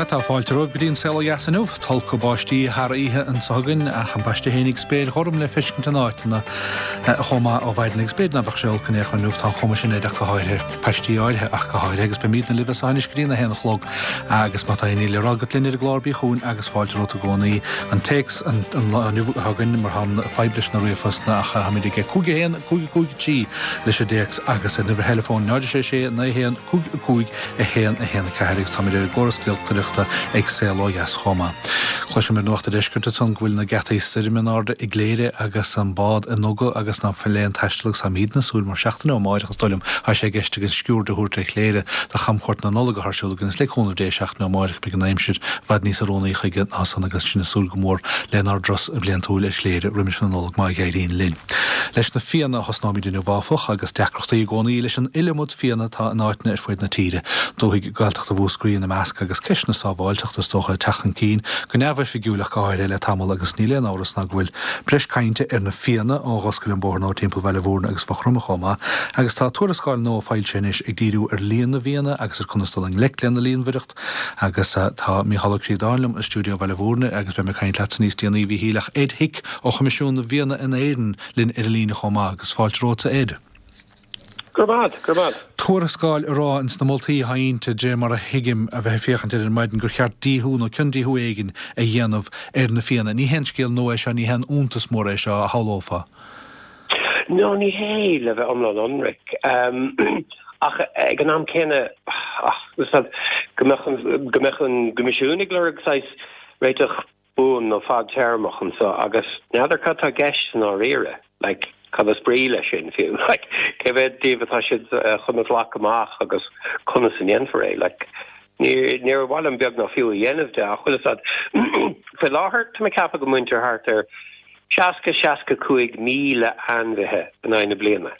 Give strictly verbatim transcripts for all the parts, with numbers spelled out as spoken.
Sea, tá fáilte romhaibh go dtí an Saol Ó Dheas inniu. Tolcadh báistí thar oíche anseo againn ach an báisteach fhéinig spéir ghorm le feiscint in áiteanna chomh maith ó mhaidin agus b'fhéidir ná beadh sé olc in aon chor inniu, tá an chuma sin air ach go háirithe, paistí áirithe ach go háirithe agus beimidne libh as seo anois go dtí a haon a chlog agus má tá aon ní le rá agat linn ar an gclár bí chugainn agus fáilte romhat i gcónaí. An téacs an lá inniu atá againn mar tá an fadhb leis na ríomhphostanna ach táimid ag cúig a haon, cúig a cúig trí leis an dtéacs agus an uimhir theileafóin náid a sé sé naoi haon cúig a cúig a haon a haon a ceathair agus táimid ar an gcóras giolcaireachta ag Saol Ó Dheas chomh maith. Cloisim ar Nuacht an Deiscirt ansan go bhfuil na geataí stoirme in airde i gCléire agus an bád i nduga agus ná fuil aon taisteal agus táimidne ag súil mar seachtain ó amáireach is dóigh liom tá sé i gceist againn sciuird a thabhairt ar Chléire do chamchuairt na Nollag atá ar siúl againn is le cúnamh Dé seachtain ó amáireach beidh an aimsir i bhfad níos oiriúnaí chuige ná san agus sinn ag súil go mór lenár dturas bhliantúil ar Chléire roimis na Nollag má éiríonn linn. Leis na Fianna a thosnóimid inniu áfach agus deacrachtaí i gcónaí leis an iliomad fianna atá in áiteanna ar fuaid na tíre. Dúthaigh Gaeltachta Mhúscraí ina measc agus ceist na sábháilteachta is dócha ag teacht chun cinn go neamhoifigiúil ach go háirithe le tamall agus níl aon amhras ná go bhfuil breis cainte ar na Fianna ó dh'oscail an bóthar nua timpeall Bhaile Bhúirne agus Mhaigh Chromtha chomh maith agus tá tuarascáil nua foilsithe anois ag díriú ar líon na bhFianna agus ar conas dul i ngleic lena líonmhaireacht agus tá Mícheál Ó Críodáin liom i stiúideo Bhaile Bhúirne agus beidh mé ag caint leatsa níos déanaí a Mhíchíl ach Ed Hick ó Choimisiún na bhFianna in Éirinn linn ar an líne chomh maith agus fáilte romhatsa Ed. Go raibh maith, go raibh maith. Tuarascáil ag rá ins na moltaí atá inti de mar a thuigim a bheith ag féachaint ar ar maidin gur cheart díothú nó ciondíothú éigin a dhéanamh ar na Fianna. Ní haon scéal nua é seo, ní haon iontas mór é seo a shamhlófá. No, ní hé le bheith iomlán ionraic. Ach ag an am céanna, go mbeadh go mbeadh an Coimisiún ag lorg saghas réiteach buan nó fadtéarmach anseo agus n'fheadar cad tá i gceist i ndáiríre. Like, cad is brí leis sin fiú? Like, cé mhéad díobh atá siad chun a ghlacadh amach agus conas a ndéanfar é? Like, ní níor mhaith liom beag ná fiú a dhéanamh de ach bhfuil a fhios agat faoi láthair tá mé ag ceapadh go mbaintear thart ar seasca seasca cúig míle ainmhithe in aghaidh na bliana.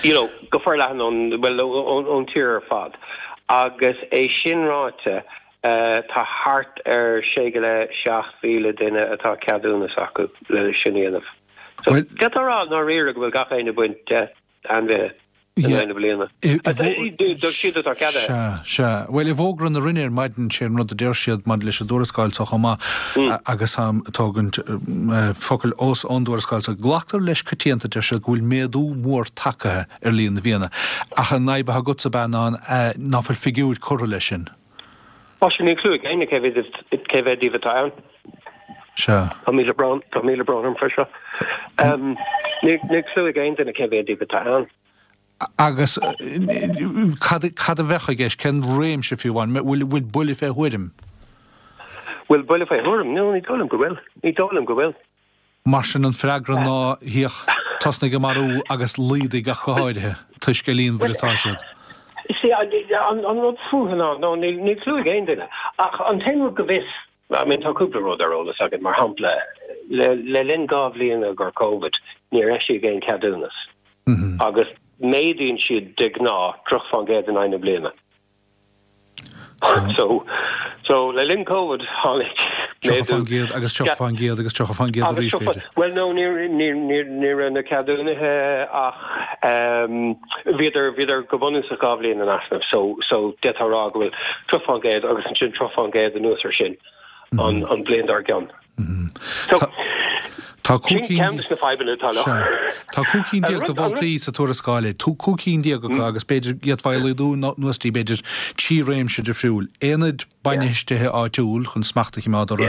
You know, go forleathan ón bhuel ón tír ar fad. Agus é sin ráite, tá thart ar sé go leith seacht mhíle duine atá ceadúnas acu le sin a dhéanamh. So, d'fhéadfá a rá i ndáiríre go bhfuil gach éinne ag baint deich ainmhithe in aghaidh na bliana. Dóibh siúd atá ceadaithe. Sea, sea. Bhuel, i bhfógra na Roinne ar maidin, sé an rud a deir siad maidir leis an dtuarascáil seo chomh maith agus táim ag tógaint focail os ón dtuarascáil seo, glactar leis coitianta, deir siad, go bhfuil méadú mór tagtha ar líon na bhfianna. Ach an fhadhb atá agatsa ab ea ná ná fuil figiúir curtha leis sin. Á, sin, níl clue ag éinne cé mhéad cé mhéad díobh atá ann. Sea. Tá míle brón, tá míle brón orm faoi seo. Níl níl clue ag aon duine cé mhéad díobh atá ann. Agus cad cad a bheadh i gceist? Cén réimse fiú amháin? Bhfuil bhfuil buille fé thuairim? Bhfuil buille fé thuairim? No, ní dóigh liom go bhfuil. Ní dóigh liom go bhfuil. Mar sin an freagra ná híoch tosnaigh ag marú agus laghdaigh ach go háirithe, toisc a líonmhaire atá siad. See, an an rud fúthu ná, no, níl níl clue ag aon duine. Ach an t-aon rud go bhfios, I mean tá cúpla rud ar eolas againn, mar shampla, le le linn dhá bhliain i gcomhair Covid, níor eisíodh aon cheadúnas. Agus méadaíonn siad de ghnáth tríocha fán gcéad in aghaidh na bliana. So, so le linn Covid tháinig tríocha fán gcéad agus tríocha fán gcéad agus tríocha fán gcéad arís, b'fhéidir. Bhuel, no, ní ní ní ní raibh na ceadúnaithe ach bhíodar bhíodar go bunúsach dhá bhliain in easnamh. So, so d'fhéadfá a rá go bhfuil tríocha fán gcéad agus ansin tríocha fán gcéad anuas air sin an an bhliain dár gcionn. So, Tá cúig sin ceann de na fadhbanna atá leo. Tá cúig cinn déag de mholtaí sa tuarascáil, cúig cinn déag acu agus b'fhéidir d'fhéadfá a laghdú anuas dtí b'fhéidir trí réimse difriúil. Aonaid bainistithe áitiúil chun smacht a choimeád orthu,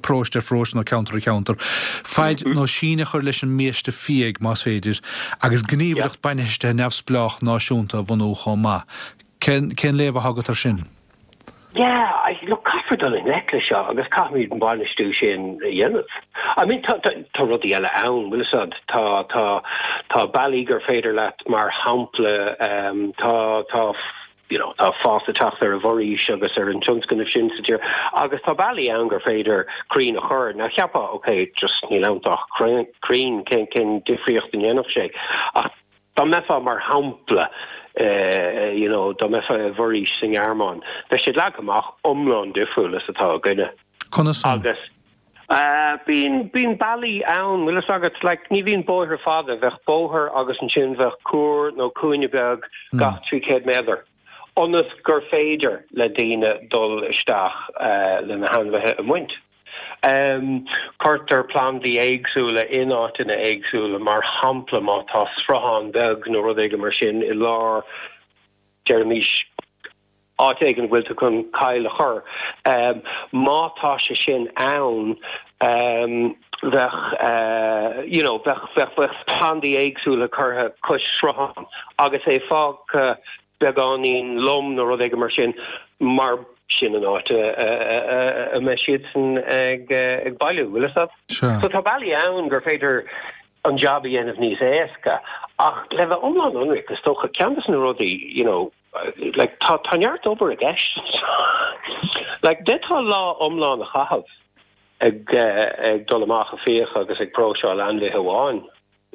paróiste ar pharóiste nó ceantar ar cheantar, faid nó síneadh a chur leis an mbiaiste fiaigh más féidir, agus gníomhaireacht bainistithe neamhspleách náisiúnta a bhunú chomh maith. Cén cén léamh atá agat air sin? Yeah, I, look, caithfear dul i ngleic leis seo agus caithfimid an bainistiú sin a dhéanamh. I mean, tá, tá, tá rudaí eile ann, bhfuil a fhios agat, tá, tá, tá bealaí gur féidir leat, mar shampla, um, tá, tá, you know, tá fás ag teacht ar an bhforaois agus ar an tionscnamh sin sa tír agus tá bealaí ann gur féidir crainn a chur. Now cheapfá, okay, just níl ann ach crainn, cén, cén difríocht a ndéanfadh sé. Ach Dá mbeifeá, mar shampla, you know, dá mbeifeá i bhforaois sa nGearmáin, bheadh siad leagtha amach iomlán difriúil is atá againne. Conas san? Agus bíonn, bíonn bealaí ann, bhfuil fhios agat, like, ní bhíonn bóithre fada, bheadh bóthar agus ansin bheadh cuar nó cúinne beag gach trí chéad méadar. ionas gur féidir le daoine dul isteach le na hainmhithe a bhaint. Cuirtear plandaí éagsúla in áiteanna éagsúla, mar shampla má tá sruthán beag nó rud éigin mar sin i lár, deirimis, áit éigin a bhfuil tú chun coill a chur. Má tá sé sin ann, bheadh, you know, bheadh, bheadh, bheadh plandaí éagsúla curtha cois srutháin agus é fágtha beagáinín lom nó rud éigin mar sin, mar sin an áit a mbeidh siadsan ag bailiú, bhfuil fhios agat? So tá bealaí ann gur féidir an jab a dhéanamh níos éasca, ach le bheith iomlán ionraic, is dócha, ceann de na rudaí, you know, like, tá, tá neart obair i gceist anseo. Like, d'fhéadfá lá iomlán a chaitheamh ag, ag dul amach ag fiach agus ag próiseáil ainmhithe amháin.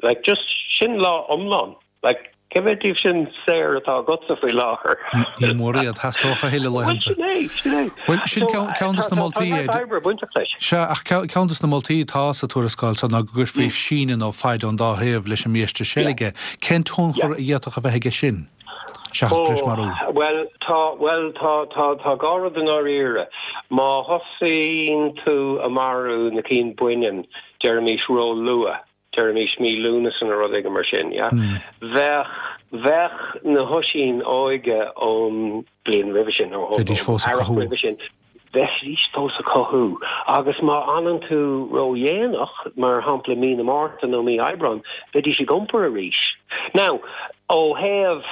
Like, just sin lá iomlán. Like, cé mhéad díobh sin saor atá agatsa faoi láthair? Ní mór iad, theastódh a thuilleadh laethanta. Bhuel, sin é, sin é. Bhuel, sin ceann de na moltaí. Tá neart oibre bainteach leis. Sea, ach ceann de na moltaí atá sa tuarascáil seo ná go gcuirfí síneadh nó faid ón dá thaobh leis an mbiaiste seilge. Cén tionchar a d'fhéadfadh a bheith aige sin, seachas breis-mharú? Bhuel, tá, bhuel, tá, tá, tá dhá rud i ndáiríre. Má thosaíonn tú a marú na cinn baineann, deirimis, ró-luath, deirimis mí Lúnasa nó rud éigin mar sin, yeah? Bheadh, bheadh na hoisín óige ón bliain roimhe sin, nó ón Bheidís fós ag earrach cothú. roimhe sin, bheidís fós ag cothú. Agus má fhanann tú ródhéanach, mar shampla mí na Márta nó mí Aibreáin, bheidís ag iompar arís. Now, ó thaobh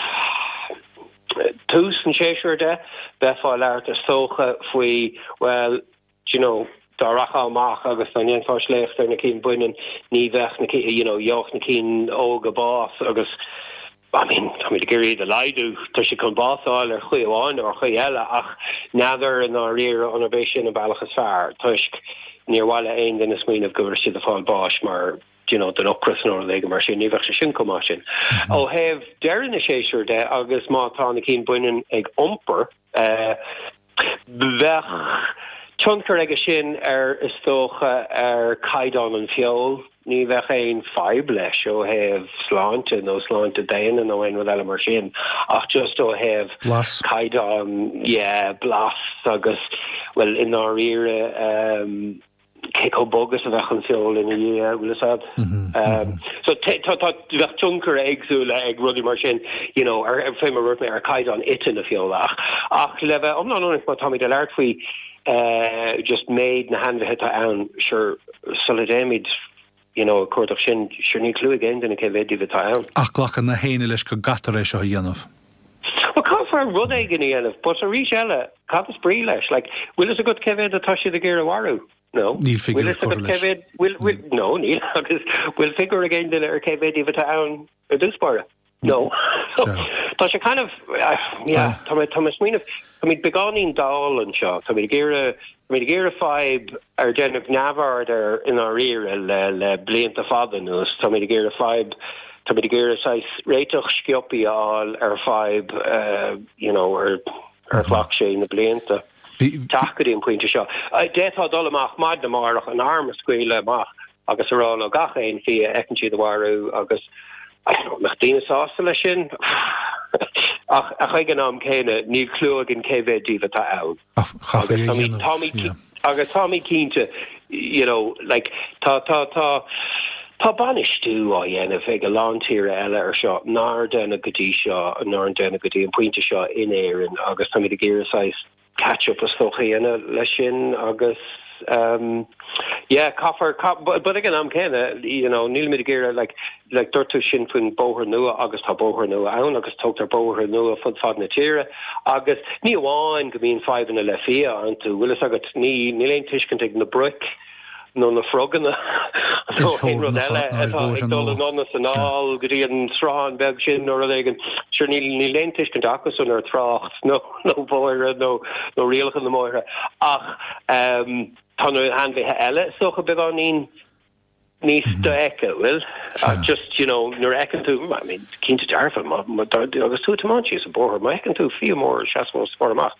tús an tséasúir de, bheifeá ag labhairt is dócha faoi, bhuel, do you know, dá rachfá amach agus dá ndéanfá sléacht ar na cinn baineann, ní bheadh na cinn, you know, gheobhadh na cinn óga bás agus, I mean, táimid ag iarraidh iad a laghdú, tá siad chun bás a fháil ar chaoi amháin nó ar chaoi eile ach n'fheadar i ndáiríre an arb é sin an bealach is fearr toisc níor mhaith le aon duine smaoineamh go bhfuil siad ag fáil báis mar, do you know, den ocras nó rud éigin mar sin, ní bheadh sé sin chomh maith sin. Ó thaobh deireadh na séasúr de agus má tá na cinn baineann ag iompar, eh, Bheadh tionchar aige sin ar, is dócha, ar chaighdeán an feoil. Ní bheadh aon fadhb leis ó thaobh sláinte nó sláinte daonna nó aon rud eile mar sin ach just ó thaobh Blas. caighdeán, yeah, blas agus, bhuel, i ndáiríre, cé chomh bog is a bheadh an feoil ina dhiaidh, bhfuil fhios a'd. So tá, tá, bheadh tionchar éagsúla ag rudaí mar sin, you know, ar, fé mar a dúirt mé, ar chaighdeán ite na feola. Ach, ach le bheith iomlán ionraic, má táimid ag labhairt faoi just méid na hainmhithe atá ann, sure, sula dtéimid, you know, ag cuardach sin, sure, níl clue ag aon duine cé mhéad díobh atá ann. Ach glacann na héinne leis go gcaithfear é seo a dhéanamh. Well, caithfear rud éigin a dhéanamh, but arís eile, cad is brí leis? Like, bhfuil fhios agat cé mhéad atá siad ag iarraidh a mharú? No. Níl Bhfuil figiúr fhios curtha agat cé leis. mhéad, bhfuil, bhfuil, no, níl, agus bhfuil figiúr ag aon duine ar cé mhéad díobh atá ann ar dtús báire? No. So, Sea. tá sé kind of, yeah, tá mé, tá mé ag smaoineamh, táimid beagáinín dall anseo, táimid ag iarraidh, táimid ag iarraidh fadhb ar deineadh neamhaird air i ndáiríre le, le blianta fada anuas, táimid ag iarraidh fadhb, táimid ag iarraidh saghas réiteach sciobtha a fháil ar fadhb, you know, ar, ar ghlac sé na blianta. teacht go dtí an pointe seo. D'fhéadfá dul amach maidin amárach, an arm a scaoileadh amach agus a rá leo gach aon fhia a fheiceann siad a mharú agus I don't know, an mbeadh daoine sásta leis sin? Ach ag an am céanna, níl clue againn cé mhéad díobh atá ann. Ach chaithfí é a dhéanamh, yeah. Agus táimid cinnte, you know, like, tá, tá, tá, tá bainistiú á dhéanamh ag a lán tíre eile ar seo nár deineadh go dtí seo, nár deineadh go dtí an pointe seo in Éirinn agus táimid ag iarraidh saghas catch up is dócha a dhéanamh leis sin agus um yeah caithfear but ag an am céanna you know nílimid ag iarraidh like like dúirt tú sin faoin bóthar nua agus tá bóthar nua ann agus tógtar bóithre nua fud fad na tíre agus ní amháin go mbíonn fadhbanna le fia iontu bhfuil fhios agat ní níl aon tuiscint ag na broic nó na froganna nó aon rud eile atá ag dul anonn is anall go dtí an sruthán beag sin nó rud éigin. Sure, níl níl aon tuiscint acusan ar thrácht nó nó bóithre nó nó rialacha na mbóithre ach ehm tá na hainmhithe eile is dócha beagáinín níos dofheicthe, bhfuil? Just, you know, nuair a fheiceann tú, I mean, cinnte dearfa, má, má, agus tú ag tiomáint síos an bóthar, má fheiceann tú fia mór ag seasamh os do chomhair amach,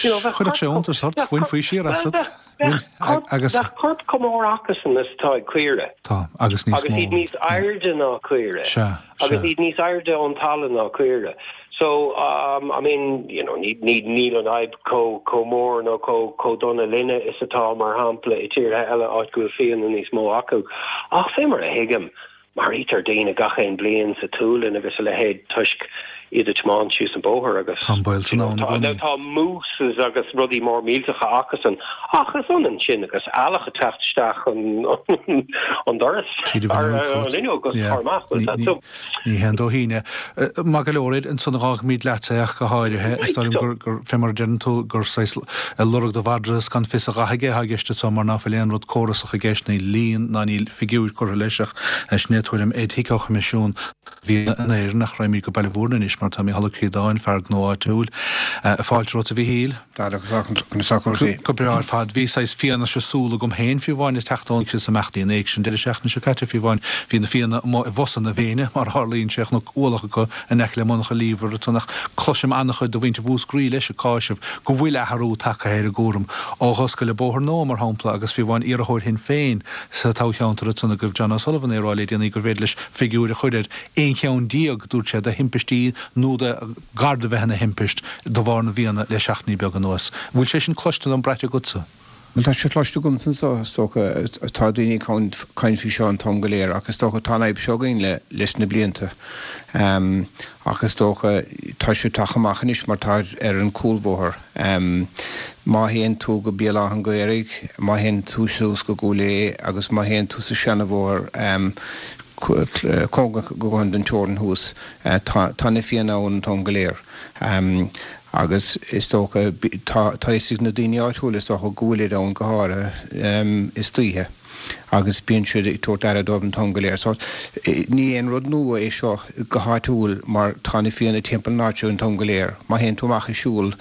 you know, bheadh Chuirfeadh sé iontas ort, bhainfí siar asat. Bheadh corp, Agus. bheadh corp chomh mór acusan is atá ag caoire. Tá, agus níos Agus mó. iad níos airde ná caoire. Sea, Agus sea. iad níos airde ón talamh ná caoire. So um, I mean, you know, ní ní níl an fhadhb chomh chomh mór nó chomh chomh dona linne is atá mar shampla i tíortha eile áit go bhfuil fianna níos mó acu. Ach fé mar a thuigim, maraítear daoine gach aon bliain sa tSualainn agus a leithéid toisc iad ag tiomáint síos an bóthar agus Tá an baol san ann i tá, gcónaí. tá mooses agus rudaí mór millteacha acusan ach is ionann sin agus eallach ag teacht isteach an an doras Tríd an ar bhfuinneog an fhuinneog agus Yeah. tar amach. Ní- Well, ní- so Ní haon dóithín é. Maith go leor ansan fágfaimid leat é ach go háirithe is dóigh liom gur gur fé mar a deireann tú gur saghas lorg do mhadra is gan fios a dhath aige atá i gceist anseo mar ná fuil aon rud córasach i gceist níl líon ná níl figiúir curtha leis ach sin é tuairim Ed Hick ó Choimisiún Bhia in Éirinn ach raghaimid go Baile Mhúirne anois mar tá Mícheál Ó Críodáin fear gnó áitiúil fáilte romhat a Mhíchíl. Go breá ar fad bhí saghas fianaise súl agam féin fiú amháin ag teacht ón sa meachtaí an éig sin deireadh seachtaine seo caite fiú amháin bhí na fianna amuigh i bhfosa na bhFéinne mar tharlaíonn sé chnoc ualach acu in aice le monarcha Lever ach cloisim an-chuid de mhuintir Mhúscraí leis ag cáiseamh go bhfuil athrú tagtha ar an gcúram ó oscailt an bóthar nua mar shampla agus fiú amháin iarrthóir Shinn Féin sa toghcheantar ansan agaibh John O'Sullivan é rá le déanaí gur féidir leis figiúir a chur ar aon cheann déag dúirt sé de thimpistí nó de gar do bheith ina thimpist de bharr na bhfianna le seachtainí beag anuas. Bhfuil sé sin cloiste nó braite agatsa? Well tá sé cloiste agam san so is dócha tá daoine caint faoi seo an t-am go léir ach is dócha tá an fhadhb seo againn le leis na blianta. Um, ach is dócha tá sé tagtha amach anois mar tá ar an cúlbhóthar. Um, má théann tú go Béal Átha an Ghaorthaidh, má théann tú suas go Cúil Aodha agus má théann tú sa seanabhóthar um, cóngarach go an den teorainn thuas tá tá na fianna ann an t-am go léir. Um, agus is dócha tá tá na daoine áitiúla is dócha go bhfuil ann go háirithe um, istoíche agus bíonn siad ag tabhairt aire dóibh an t-am go léir. So ní aon rud nua é seo go háitiúil mar tá na fianna timpeall na háite an t-am go léir. Má théann tú amach ag siúl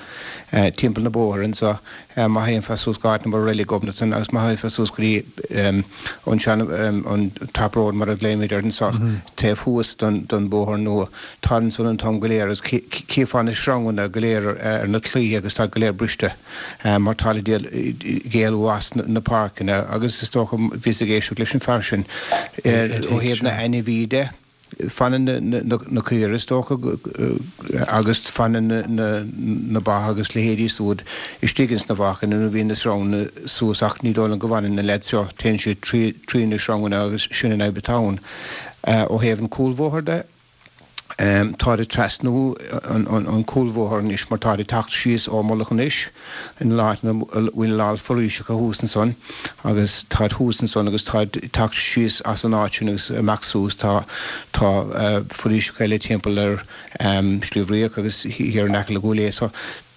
uh, timpeall na bóthar anseo uh, má théann tú suas go na Reilig Ghobnatan agus má théann tú suas go dtí um, an sean um, an Top Road mar a ghlaoimid air anseo mm -hmm. taobh thuas don, don bóthar nua tá san an t-am go léir agus cífeá na sreanganna go léir ar na claí agus tá go léir briste um, mar tá géalú as na, na páirceanna agus is dócha bhí ag éisteacht leis an fear sin ó thaobh na n-ainmhithe de fanann na, na, na caoirigh is dócha agus fanann na, na, na ba agus leithéidí súd istigh ins na bhfácann nó bhíonn na sreanganna suas ach ní dóigh liom go bhfanann na leaids seo téann siad trí trí na sreanganna agus sin an fhadhb atá ann. Uh, ó thaobh an cúlbhóthar de Um, tá ag trasnú an, an, an cúlbhóthar anois mar tá teacht síos ó Mullach an Eich in lá bhfuil lá foraoiseacha thuas ansan agus tá thuas ansan agus tá teacht síos as an áit sin agus amach suas tá tá uh, foraoiseacha eile timpeall ar um, Sliabh Riach agus thiar in aice le Cúil Aodha so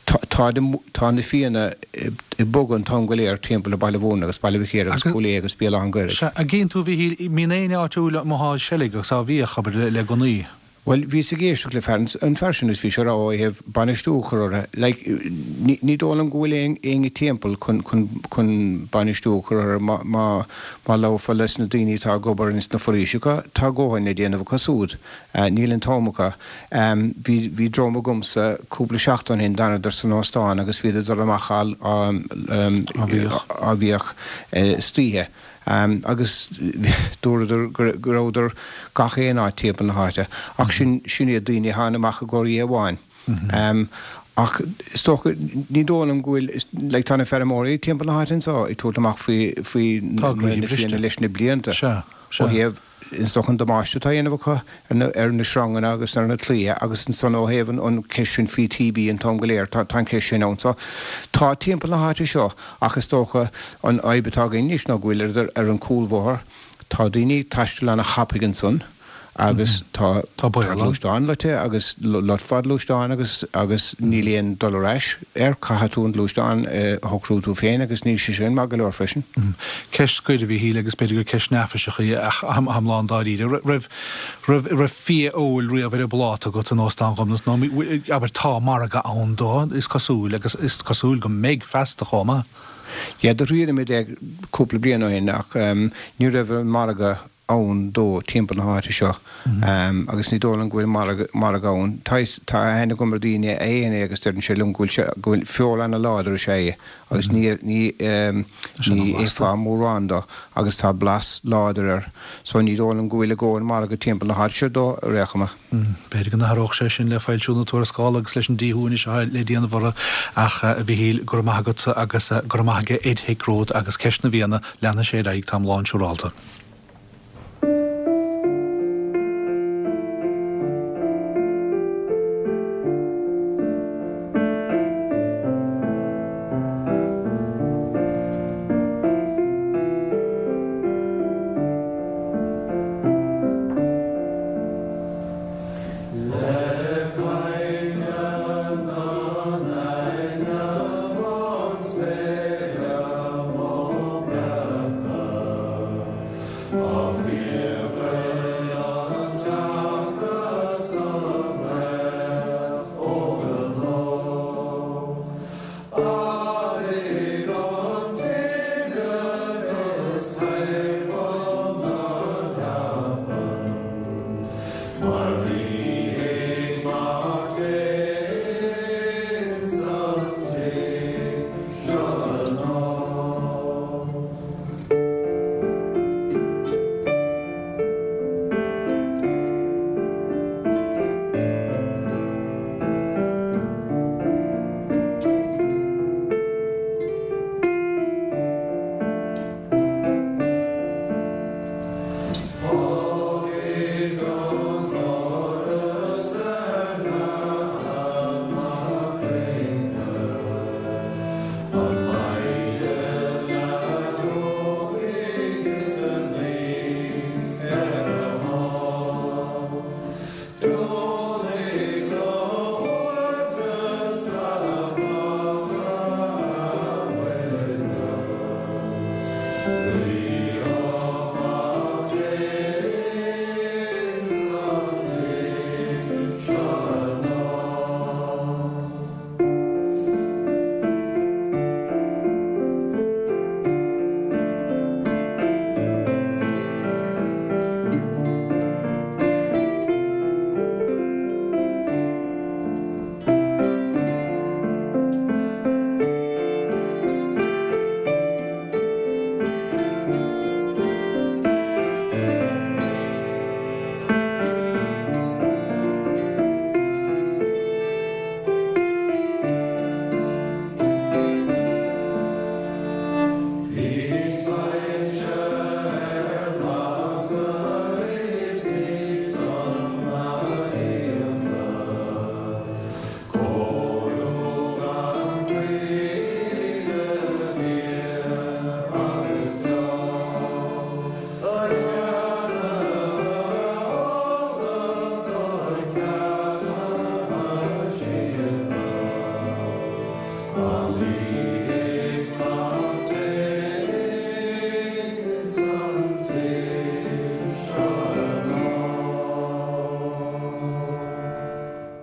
tá tá na fianna ag bogadh an t-am go léir timpeall le Baile Mhúirne agus Baile Mhic Íre agus Cúil Aodha agus Béal Átha an Ghaorthaidh. A gcíonn tú bhí mín éine áitiúil motá seilg agus á bhíoch abair le gunnaí. Well bhí ag éisteacht le fear an fear sin is bhí sé rá thaobh bainistiú chur like, ní, ní dóigh liom go bhfuil aon aon timpeall chun chun chun bainistiú chur má má má labhrófá leis na daoine atá ag obair ins na foraoiseacha tá dóthain le déanamh acu súd. Uh, níl an t-am acu. Um, bhí bhí dream agamsa cúpla seachtain ó shin d'fhanadar san óstán agus bhí dul amach á á bhíoch istoíche. Um, agus dúradar go rabhadar gach aon áit timpeall na háite ach sin sin iad daoine tháinig amach i gcomhair amháin. Um, ach is dócha ní dóigh liom go bhfuil le tá na feirmeoirí timpeall na háite anseo ag tabhairt amach faoi faoi Tá na gnoithe na briste. fianna leis na blianta. Sea, sea. Ó thaobh is dócha an damáiste atá déanamh acu ar na ar na sreanganna agus ar na claíthe agus ansan ó thaobh an an ceist sin faoi TB an t-am go léir tá tá an ceist sin ann so tá timpeall na háite seo ach is dócha an fhadhb atá againn anois ná go bhfuil ar ar an cúlbhóthar tá daoine ag taisteal ana-thapaidh ansan agus tá Tá baol ann. gluaisteán loite agus lot fad gluaisteán agus agus níl aon dul ar ais ar caithfidh tú an gluaisteán a shocrú tú féin agus níl sé sin maith go leor freisin. Ceist scoir a Mhíchíl agus b'fhéidir gur ceist neafaiseach í ach am lán dáiríre. Raibh raibh raibh fia óil riamh ar an bpláta agat in Óstán Ghobnait nó abair tá margadh ann dó is cosúil agus is cosúil go mbeidh feasta chomh maith. Ja, do rinne muid é cúpla bliain ó shin ach um, ní raibh an margadh ann dó timpeall na háite seo agus ní dóigh liom go bhfuil margadh margadh ann. Tá tá aithne agam ar daoine a itheann é agus deireann sé liom go bhfuil sé go bhfuil feoil ana-láidir is ea é agus ní ní ní ithfeá mórán dó agus tá blas láidir air so ní dóigh liom go bhfuil a dhóthain margadh timpeall na háite seo dó ar aon chuma. B'fhéidir go n-athródh sé sin le foilsiú na tuarascála agus leis an díothú anois atá le déanamh orthu ach a Mhichíl, go raibh maith agat agus go raibh maith aige Ed Hick romhat agus ceist na bhFianna, leanfaidh sé ar aghaidh, táim lán siúrálta.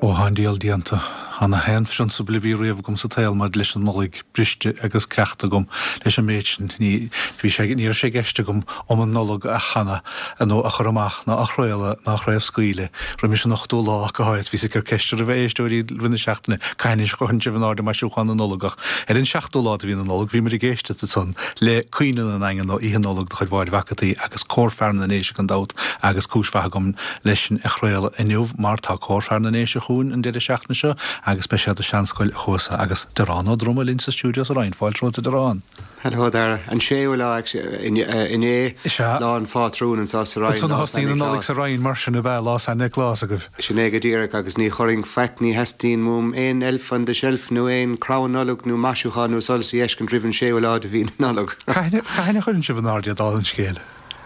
Ó tá an diabhal déanta. Tá na haon phrionsabail a bhí riamh agam sa tsaol maidir leis an Nollaig briste agus creachta agam leis an méid sin. Ní bhí sé, ní raibh sé i gceist agam Iomainn Nollag a chanadh nó a chur amach ná a chraoladh ná a chraobhscaoileadh roimis an ochtú lá ach go háirithe. Bhíos ag cur ceiste roimh éisteoirí i rith na seachtaine cathain a chuireann sibh in airde maisiúchán na Nollag ach ar an seachtú lá de mhí na Nollag bhí muid ag éisteacht ansan le Caoineadh na nDaingean nó Oíche Nollag de chuid Mháire Mhac an tSaoi agus Cór Fear na nDéise gan dabht agus cúis mhaith agam leis sin a chraoladh inniu mar tá Cór Fear na nDéise chugainn an deireadh seachtaine seo agus beidh siad i Seanscoil an Chuasa agus Diarán Ó Droma linn sa stiúideo sa Rinn. Fáilte romhat a Dhiaráin. Hello Dara. An séú lá inné, Lá an Phátrúin anseo sa Rinn, Lá San Nioclás. Nollaig sa Rinn mar sin ab ea Lá San Nioclás agaibh? Sin é go díreach agus ní chuirfinn faic, ní theastaíonn uaim aon elf on the shelf nó aon crann Nollag nó maisiúchán nó solas a fheiscint roimh an séú lá de mhí na Nollag. Cathain a chuireann sibh in airde dála an scéil?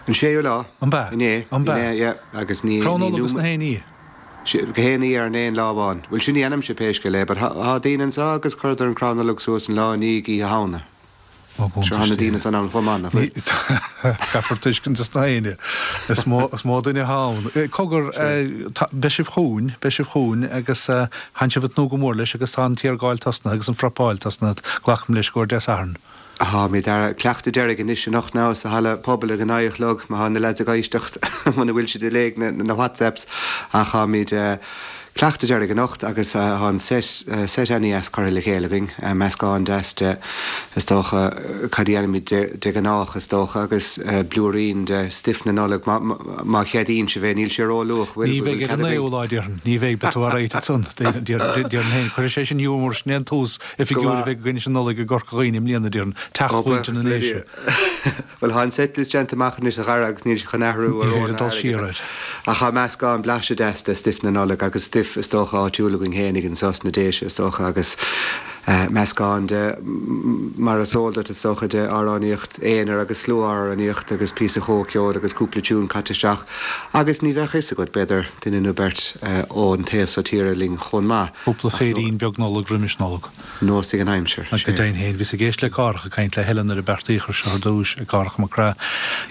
An séú lá. An b'ea? Inné. An b'ea? Inné, yeah. Agus ní, Crann Nollag agus na héinní? Go haon ní ar an aon lá amháin. Bhuel, sin ní dhéanaimse pé scéal é, but thá daoine anseo agus chuireadar an crann Nollag suas an lá i ndiaidh Oíche Shamhna. Sure, thá na daoine san ann chomh maith, nach bhfuil? Caithfear tuiscint is na héinne. Is mó, is mó duine athá ann. Cogar, beidh sibh chugainn, beidh sibh chugainn agus tánn sibh ag tnúth go mór leis agus tá an tiargáil tosnaithe agus an phrepáil tosnaithe, glacaim leis, i gcomhair Dé Sathairn. Táimid ar cleachtadh deiridh anois anocht now sa halla pobail ag a naoi a chlog, má tá na lads ag éisteacht, muna bhfuil siad ag léamh na WhatsApps, ach táimid cleachtadh deiridh anocht agus tá an set set ana-dheas curtha le chéile againn, meascán deas de, is dócha, cad a dhéanaimid de ghnách, is dócha, agus blúirín de stuif na Nollag, má cheadaíonn sibh é, níl sé ró-luath, bhfuil? Ní bheidh ar an naoú lá, déarfainn. Ní bheidh, beidh tú alright ansan, déarfainn féin. Cuirfidh sé sin giúmar, sin é an tús oifigiúil a bheidh againn leis an Nollaig i gCorca Dhuibhne i mbliana, déarfainn, teach mhuintir na nDéise. Bhuel, tá an setlist déanta amach anois a Dhara agus níl sé chun athrú ar Ní féidir dul siar air. Ach tá meascán blaiseadh deas de stuif na Nollag agus stuif is dócha áitiúil againn fhéinig anso sna Déise is dócha agus meascán de, mar is eol duit is dócha, de amhránaíocht aonair agus slua-amhránaíocht agus píosa comhcheoil agus cúpla tiún caite isteach agus ní bheadh fhios agat, b'fhéidir, duine nó beirt ón taobh so tíre linn chomh maith. Cúpla féirín beag Nollag roimis Nollaig. Nós ag an aimsir. Go deimhin féin, bhíos ag éisteacht le Cárthach ag caint le Helen nuair a beartaíodh air seo ar dtús, Cárthach Mac Craith,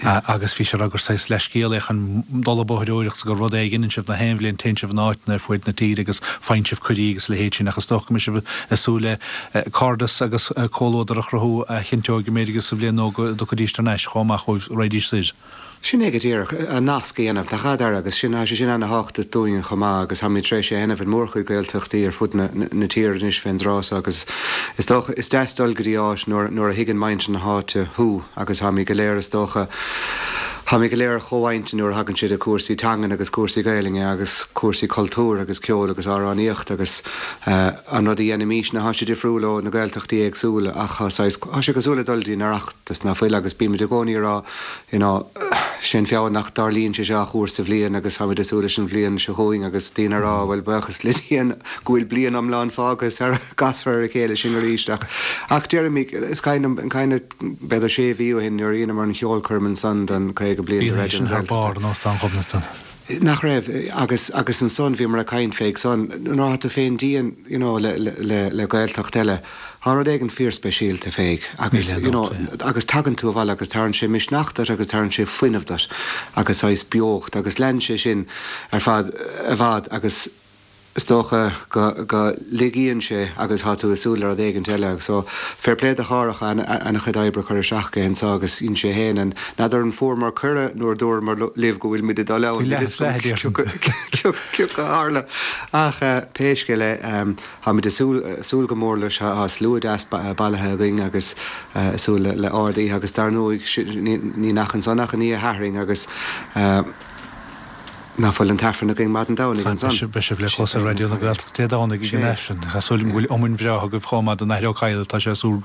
agus bhí sé ag rá gur saghas leithscéal é chun dul ag bóthaireoireacht is gur rud é a dheineann sibh na haon bhliain, téann sibh in áiteanna ar fuaid na tíre agus faigheann sibh cuirí agus a leithéid sin ach is dócha go mbeidh sibh ag súil le cairdeas agus comhluadar a chruthú a chinnteoidh go mb'fhéidir sa bhliain nua go dtiocfaidís thar n-ais chomh maith chugaibh, raghaidís soir. Sin é go díreach, an nasc a dhéanamh, nach ea, Dara, agus sin, tá sé sin ana-thábhachtach dúinn chomh maith agus táimid tar éis é a dhéanamh in mórchuid Gaeltachtaí ar fud na tíre anois fén dtráth so agus is dócha, is deas dul go dtí áit nuair, nuair a thuigeann muintir na háite thú agus táimid go léir is dócha, táimid go léir ar chomhintinn nuair a thagann sé do chúrsaí teangan agus cúrsaí Gaelainne agus cúrsaí cultúir agus ceoil agus amhránaíocht agus an rud a dhéanaimísne, tá sé difriúil ó na Gaeltachtaí éagsúla ach tá saghas, tá sé cosúil le dul dtí an Oireachtas ná fuil agus bímid i gcónaí ag rá you know, sé an feall nach dtarlaíonn sé seo ach uair sa bhliain agus táimid ag súil leis an bhliain seo chugainn agus daoine ag rá bhuel buíochas le Dia go bhfuil bliain iomlán fágtha sara gcasfar ar a chéile sinn arís ach ach deirimid is cuimhin liom an b'fhéidir sé mhí ó shin nuair a dheineamar an cheolchoirm ansan don caoga bliain de Bhí Raidió sin na thar Gaeltachta. barr in Óstán Ghobnatan. Nach raibh? Agus agus ansan bhíomar ag caint fé san nuair atá tú féin dian you know le le le Gaeltacht eile tá rud éigin fíorspeisialta fé agus Níl aon you know dabht, agus tagann tú abhaile agus tabharann sé misneach duit agus tabharann sé fuinneamh duit agus saghas beocht agus lean sé sin ar feadh i bhfad agus is dócha go go ligeann sé agus tá tú ag súil le rud éigint eile agus so fair play do Chárthach ana-chuid oibre curtha isteach aige anso agus dhein sé féin an n'fheadar an fuaireamar cuireadh nuair a dúramar libh go bhfuil muid ag dul ann Bhí níl leath fhios is leath agam déarfainn. cé a tharla ach pé scéal é táimid ag súil súil go mór leis tá slua deas bailithe againn agus ag súil le ard oíche agus dar ndóigh ní nach ansan ach an oíche Shathairn agus Ná fuil an t-Aifreann againn maidin Domhnaigh ansan? Beidh sibh le clos ar Raidió na Gaeltachta Dé Domhnaigh ag an Aifreann. Tá súil agam go bhfuil iomainn bhreá agaibh chomh maith don Athair Ó Cadhla, tá sé ag súil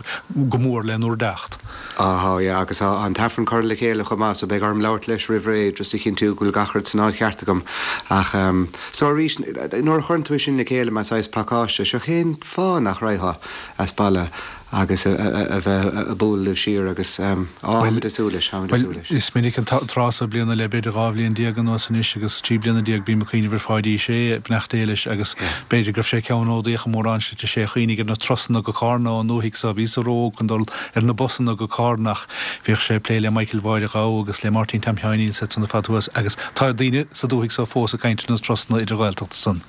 go mór lenúr dteacht. Á tá, yeah, agus tá an t-Aifreann curtha le chéile chomh maith so beidh orm labhairt leis roimh ré just a chinntiú go bhfuil gach rud san áit cheart agam. Ach ehm, so arís, nuair a chuireann tú é sin le chéile mar saghas pacáiste, seo cén fáth nach raghfá as baile agus a bheith ag bualadh libh siar agus á, táimid ag súil leis, táimid ag súil leis. Is minic an tráth so bliana le b'fhéidir dhá bhliain déag anuas anois agus trí bliana déag bím ag cuimhneamh ar Pháidí Uí Shé, beannacht Dé leis, agus b'fhéidir go raibh sé ceannródaíoch i mórán slite, sé a chuimhnigh ar na turasanna go Cárna ón ndúthaigh so, bhíos-sa ró-óg chun dul ar na busanna go Cárna ach bhíodh sé ag plé le Michael Mháire Ghabha agus le Máirtín Tom Sheáinín is iad san ar fad thuas agus tá daoine sa dúthaigh so fós ag caint ar na turasanna idir-Ghaeltachta san.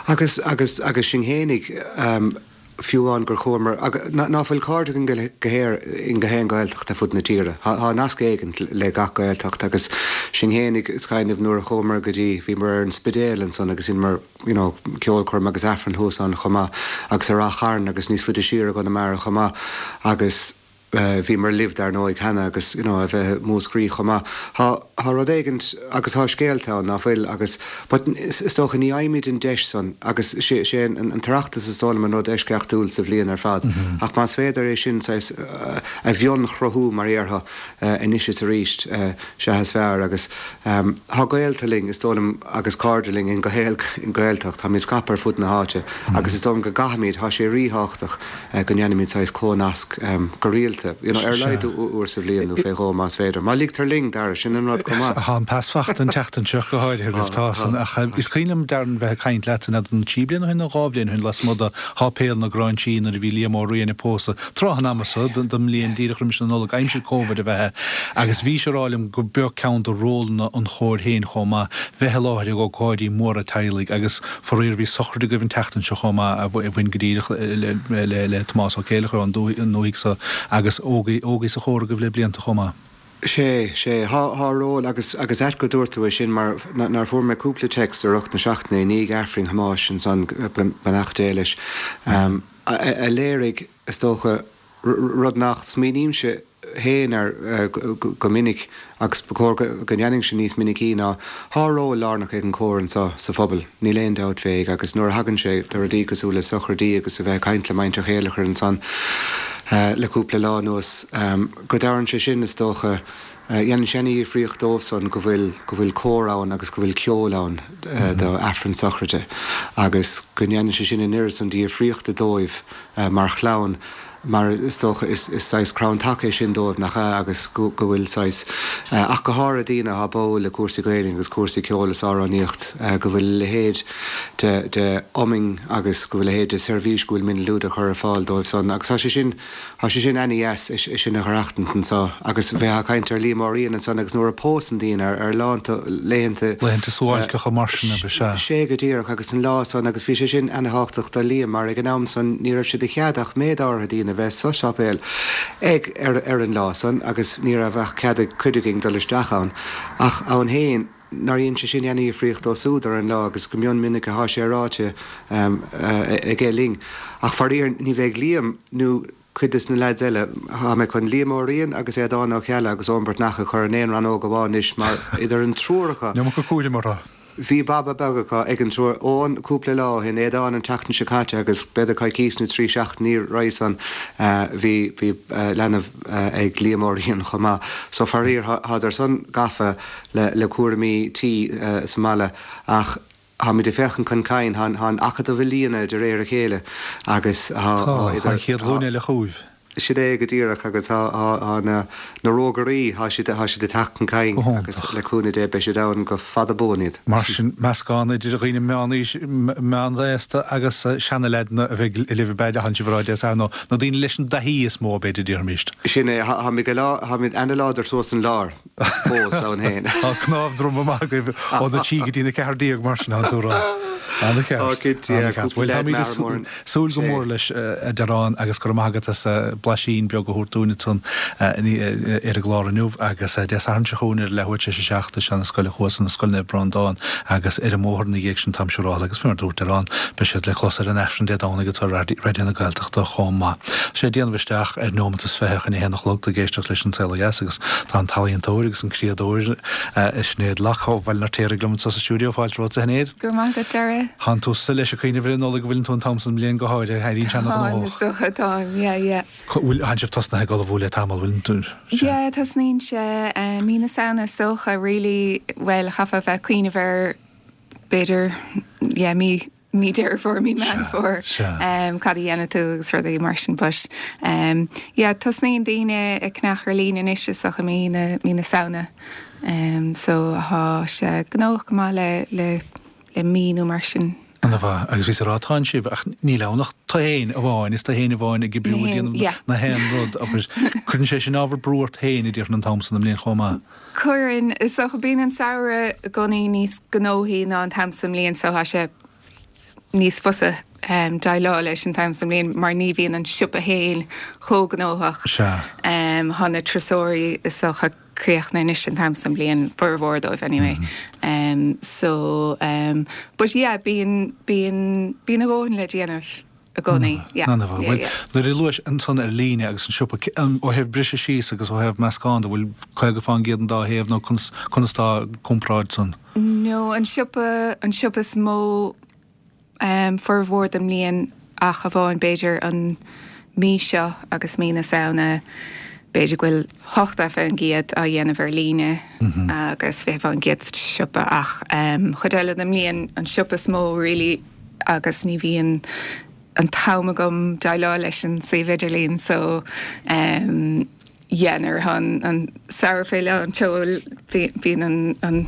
Agus, agus, agus sinn fhéinig, fiú amháin gur chuamar, ná fuil cairde againn go léir in gach aon Ghaeltacht ar fud na tíre. Tá nasc éigin le gach Gaeltacht agus sinn fhéinig, is cuimhin liom nuair a chuamar go dtí, bhíomar ar an Spidéal ansan agus dheineamar you know ceolchoirm agus Aifreann thuas ann chomh maith agus i Rath Chairn agus níos faide siar i gConamara chomh maith agus bhíomar libh dar ndóigh cheana agus you know a bheith i Múscraí chomh maith. Tá tá rud éigint agus tá scéalta ann ná fuil agus but is dócha ní fhaighimid an deis san agus sé sé an an tOireachtas is dóigh liom an rud eisceachtúil sa bhliain ar fad ach más féidir é sin saghas a mhionchruthú mar a déarfá anois is arís sea is fearr agus tá gaolta linn is dóigh liom agus cairde linn in gach aon Ghaeltacht táimid scaipthe ar fud na háite agus is dóigh liom go gcaithfimid tá sé ríthábhachtach go ndéanfaimid saghas comhnasc go rialta, you know, ar a laghad uair sa bhliain nó fé dhó más féidir. Má ligtear linn, Dara, sin an rud chomh maith. Tá an pas fachta an tseachtain seo go háirithe agaibh, tá san, ach is cuimhin liom, Darren, bheith ag caint leatsa, n'fheadar an trí bliana ó shin nó dhá bhliain ó shin, lasmuigh de Sháipéal na Gráinsí nuair a bhí Liam Ó Riain ag pósadh, tráth an ama so den mbliain, díreach roimis an Nollaig, aimsir Covid ab ea é, agus bhís ag rá liom go b'eo ceann de rólanna an chóir féin chomh maith, bheith i láthair ag ócáidí móra teaghlaigh agus faraor bhí sochraid agaibh an tseachtain seo chomh maith a bhain go díreach le Tomás Ó Céileachair ón ndúthaigh so agus agus ógaigh, ógaigh sa chór agaibh le blianta chomh maith. Sé, sé, thá, thá ról agus, agus ait go dúirt tú é sin mar nár fuair mé cúpla text i rith na seachtaine i ndiaidh Aifreann Thomáis ansan, beannacht Dé leis, a, a léirigh, is dócha, rud nach smaoinímse féin air go minic agus ba chóir go ndéanfainnse níos minicí ná thá ról lárnach ag an chór anseo sa phobal, níl aon dabht fé agus nuair a thagann sé do rudaí cosúil le sochraidí agus a bheith ag caint le muintir Chéilleachair ansan le cúpla lá anuas, go dtabharann sé sin, is dócha, dhéanann sé ana-dhifríocht dóibhsan go bhfuil go bhfuil cór ann agus go bhfuil ceol ann do Aifreann sochraide agus go ndéanann sé sin an oiread san difríochta dóibh mar chlann. Mar is dócha, is saghas crann taca é sin dóibh, nach ea, agus go bhfuil saghas, ach go háirithe daoine atá báúil le cúrsaí Gaeilge agus cúrsaí ceoil is amhránaíocht, go bhfuil a leithéid de de iomainn agus go bhfuil a leithéid de seirbhís go bhfuil Mionlúd a chur ar fáil dóibh san. Agus tá sé sin, tá sé sin ana-dheas, é sin a aireachtaint anso. Agus bheith ag caint ar Liam Ó Riain ansan agus nuair a pósann daoine ar ar lánta laethanta, Laethanta suáilceacha mar sin, ab ea? Sé go díreach, agus an lá san, agus bhí sé sin ana-thábhachtach do Liam mar ag an am san ní raibh sé de chead ach méid áirithe daoine a bheith sa sáipéal ag ar ar an lá san agus ní raibh ach cead ag cuid againn dul isteach ann ach ann féin nár dhein sé sin ana-dhifríocht dó súd ar an lá agus go mion minic athá sé ráite aige linn ach faraor ní bheidh Liam nó cuid des na leaids eile, tá mé chun Liam Ó Riain agus Aodán Ó Ceallaigh agus Eoin Breatnach a chur in aon rannóg amháin anois mar idir an triúr acu. An iomarca cúraim orthu. Bhí baba beag acu ag an triúr, Eoin cúpla lá ó shin, Aodán an tseachtain seo caite agus b'fhéidir coicís nó trí seachtainí roimhe san bhí bhí leanbh ag Liam Ó Riain chomh maith. So faraor thádar san gafa le le cúraimí tí sa mbaile ach táimid ag féachaint chun cinn, tá an Acadamh ag líonadh de réir a chéile agus tá Tá, tá an chéad ghlúin eile chugaibh. Sin é go díreach agus tá tá na na rógairí, tá siad tá siad ag teacht chun cinn Go agus hiontach. le cúnamh Dé beidh siad ann go fada buan iad. Mar sin, meascán idir dhaoine meánaois, meánaosta agus seanaleaideanna a bheidh libh ab ea, thánn sibh a rá Dé Sathairn, nó na daoine leis an dtaithí is mó, b'fhéidir, déarfaimíst. Sin é, táimid go lá, táimid ana-láidir suas an lár fós ann féin. Tá cnámh droma maith agaibh ó na trí go dtí na ceathair déag mar sin, thánn tú a rá. Ana-cheart. Ó, cinnte, yeah, Ana-cheart. cúpla Bhuel, leaid táimid ag mear mór. súil go Sé. mór leis, a Dearáin, agus go raibh maith agat as blaisín beag a thabhairt dúinn ansan ar an gclár inniu agus Dé Sathairn seo chugainn ar a leathuair tar éis a seacht i seana-scoil an Chuasáin, Scoil Naomh Breandán agus ar an mbóthar ina dhiaidh sin táim siúráilte agus faoi mar a dúirt Dearán beidh siad le clos ar an Aifreann Dé Domhnaigh anseo ar Raidió na Gaeltachta chomh maith. Tá sé ag déanamh isteach ar neomat is fiche chun a haon a chlog, tú ag éisteacht leis An Saol Ó Dheas agus tá an t-ealaíontóir agus an criadóir Sinéad Locke ó Bhaile an Fheirtéaraigh liom anseo sa stiúideo. Fáilte romhat a Shinéad. Go raibh maith agat, Dara. Thánn tusa leis ag cuimhneamh ar an Nollaig an bhfuileann tú an t-am san bliain go háirithe, éiríonn sé Táim, is ana-ghnóthach. dócha, táim, yeah, yeah. Bhfuil, thánn sibh tosnaithe ag ullmhú le tamall, bhfuileann tú? Yeah, tosnaíonn sé mí na Samhna is dócha, really, bhuel, chaithfeá bheith ag cuimhneamh air b'fhéidir, yeah, mí, mí Deireadh Fómhair, mí Meán Fómhair, um, cad a dhéanfaidh tú agus rudaí mar sin, but um, yeah, tosnaíonn daoine ag ceannach ar líne anois is dócha mí na, mí na Samhna. Um, so thá sé gnóthach go maith le, le, le mí nó mar sin. Ana-mhaith, agus bhíos ag rá tánn sibh ach níl ann ach tú féin amháin, is tú féin amháin ag oibriú ag déanamh yeah. na haon rud, abair, cuireann sé sin ábhar brú ort féin a déarfainn an t-am san den mbliain chomh maith. Cuireann, is dócha bíonn an samhradh i gcónaí níos gnóthaí ná an t-am sa mbliain so thá sé níos fusa um, déileáil leis an t-am sa mbliain mar ní bhíonn an siopa féin chomh gnóthach. Sea. Um, thá na turasóirí is dócha críochnaithe anois an t-am sa mbliain formhór dóibh anyway. Um, so um, but yeah, bíonn bíonn bíonn a dhóthain le déanamh i gcónaí. Yeah. Ana-mhaith. Yeah, Bhuel, yeah. nuair a luais ansan ar líne agus an siopa, ó thaobh briseadh síos agus ó thaobh meascán de, bhfuil caoga fán gcéad an dá thaobh nó conas conas tá comparáid san? No, an siopa an siopa is mó um, formhór den mbliain ach amháin b'fhéidir an mí seo agus mí na Samhna b'fhéidir go bhfuil ochtó faoin gcéad á dhéanamh ar líne agus fiche faoin gcéad sa siopa ach um, chuid eile den mbliain an siopa is mó really agus ní bhíonn an t-am agam déileáil leis an suíomh idirlín so um, yeah, nuair atá an, an samhradh fé lán tseoil bíonn an, an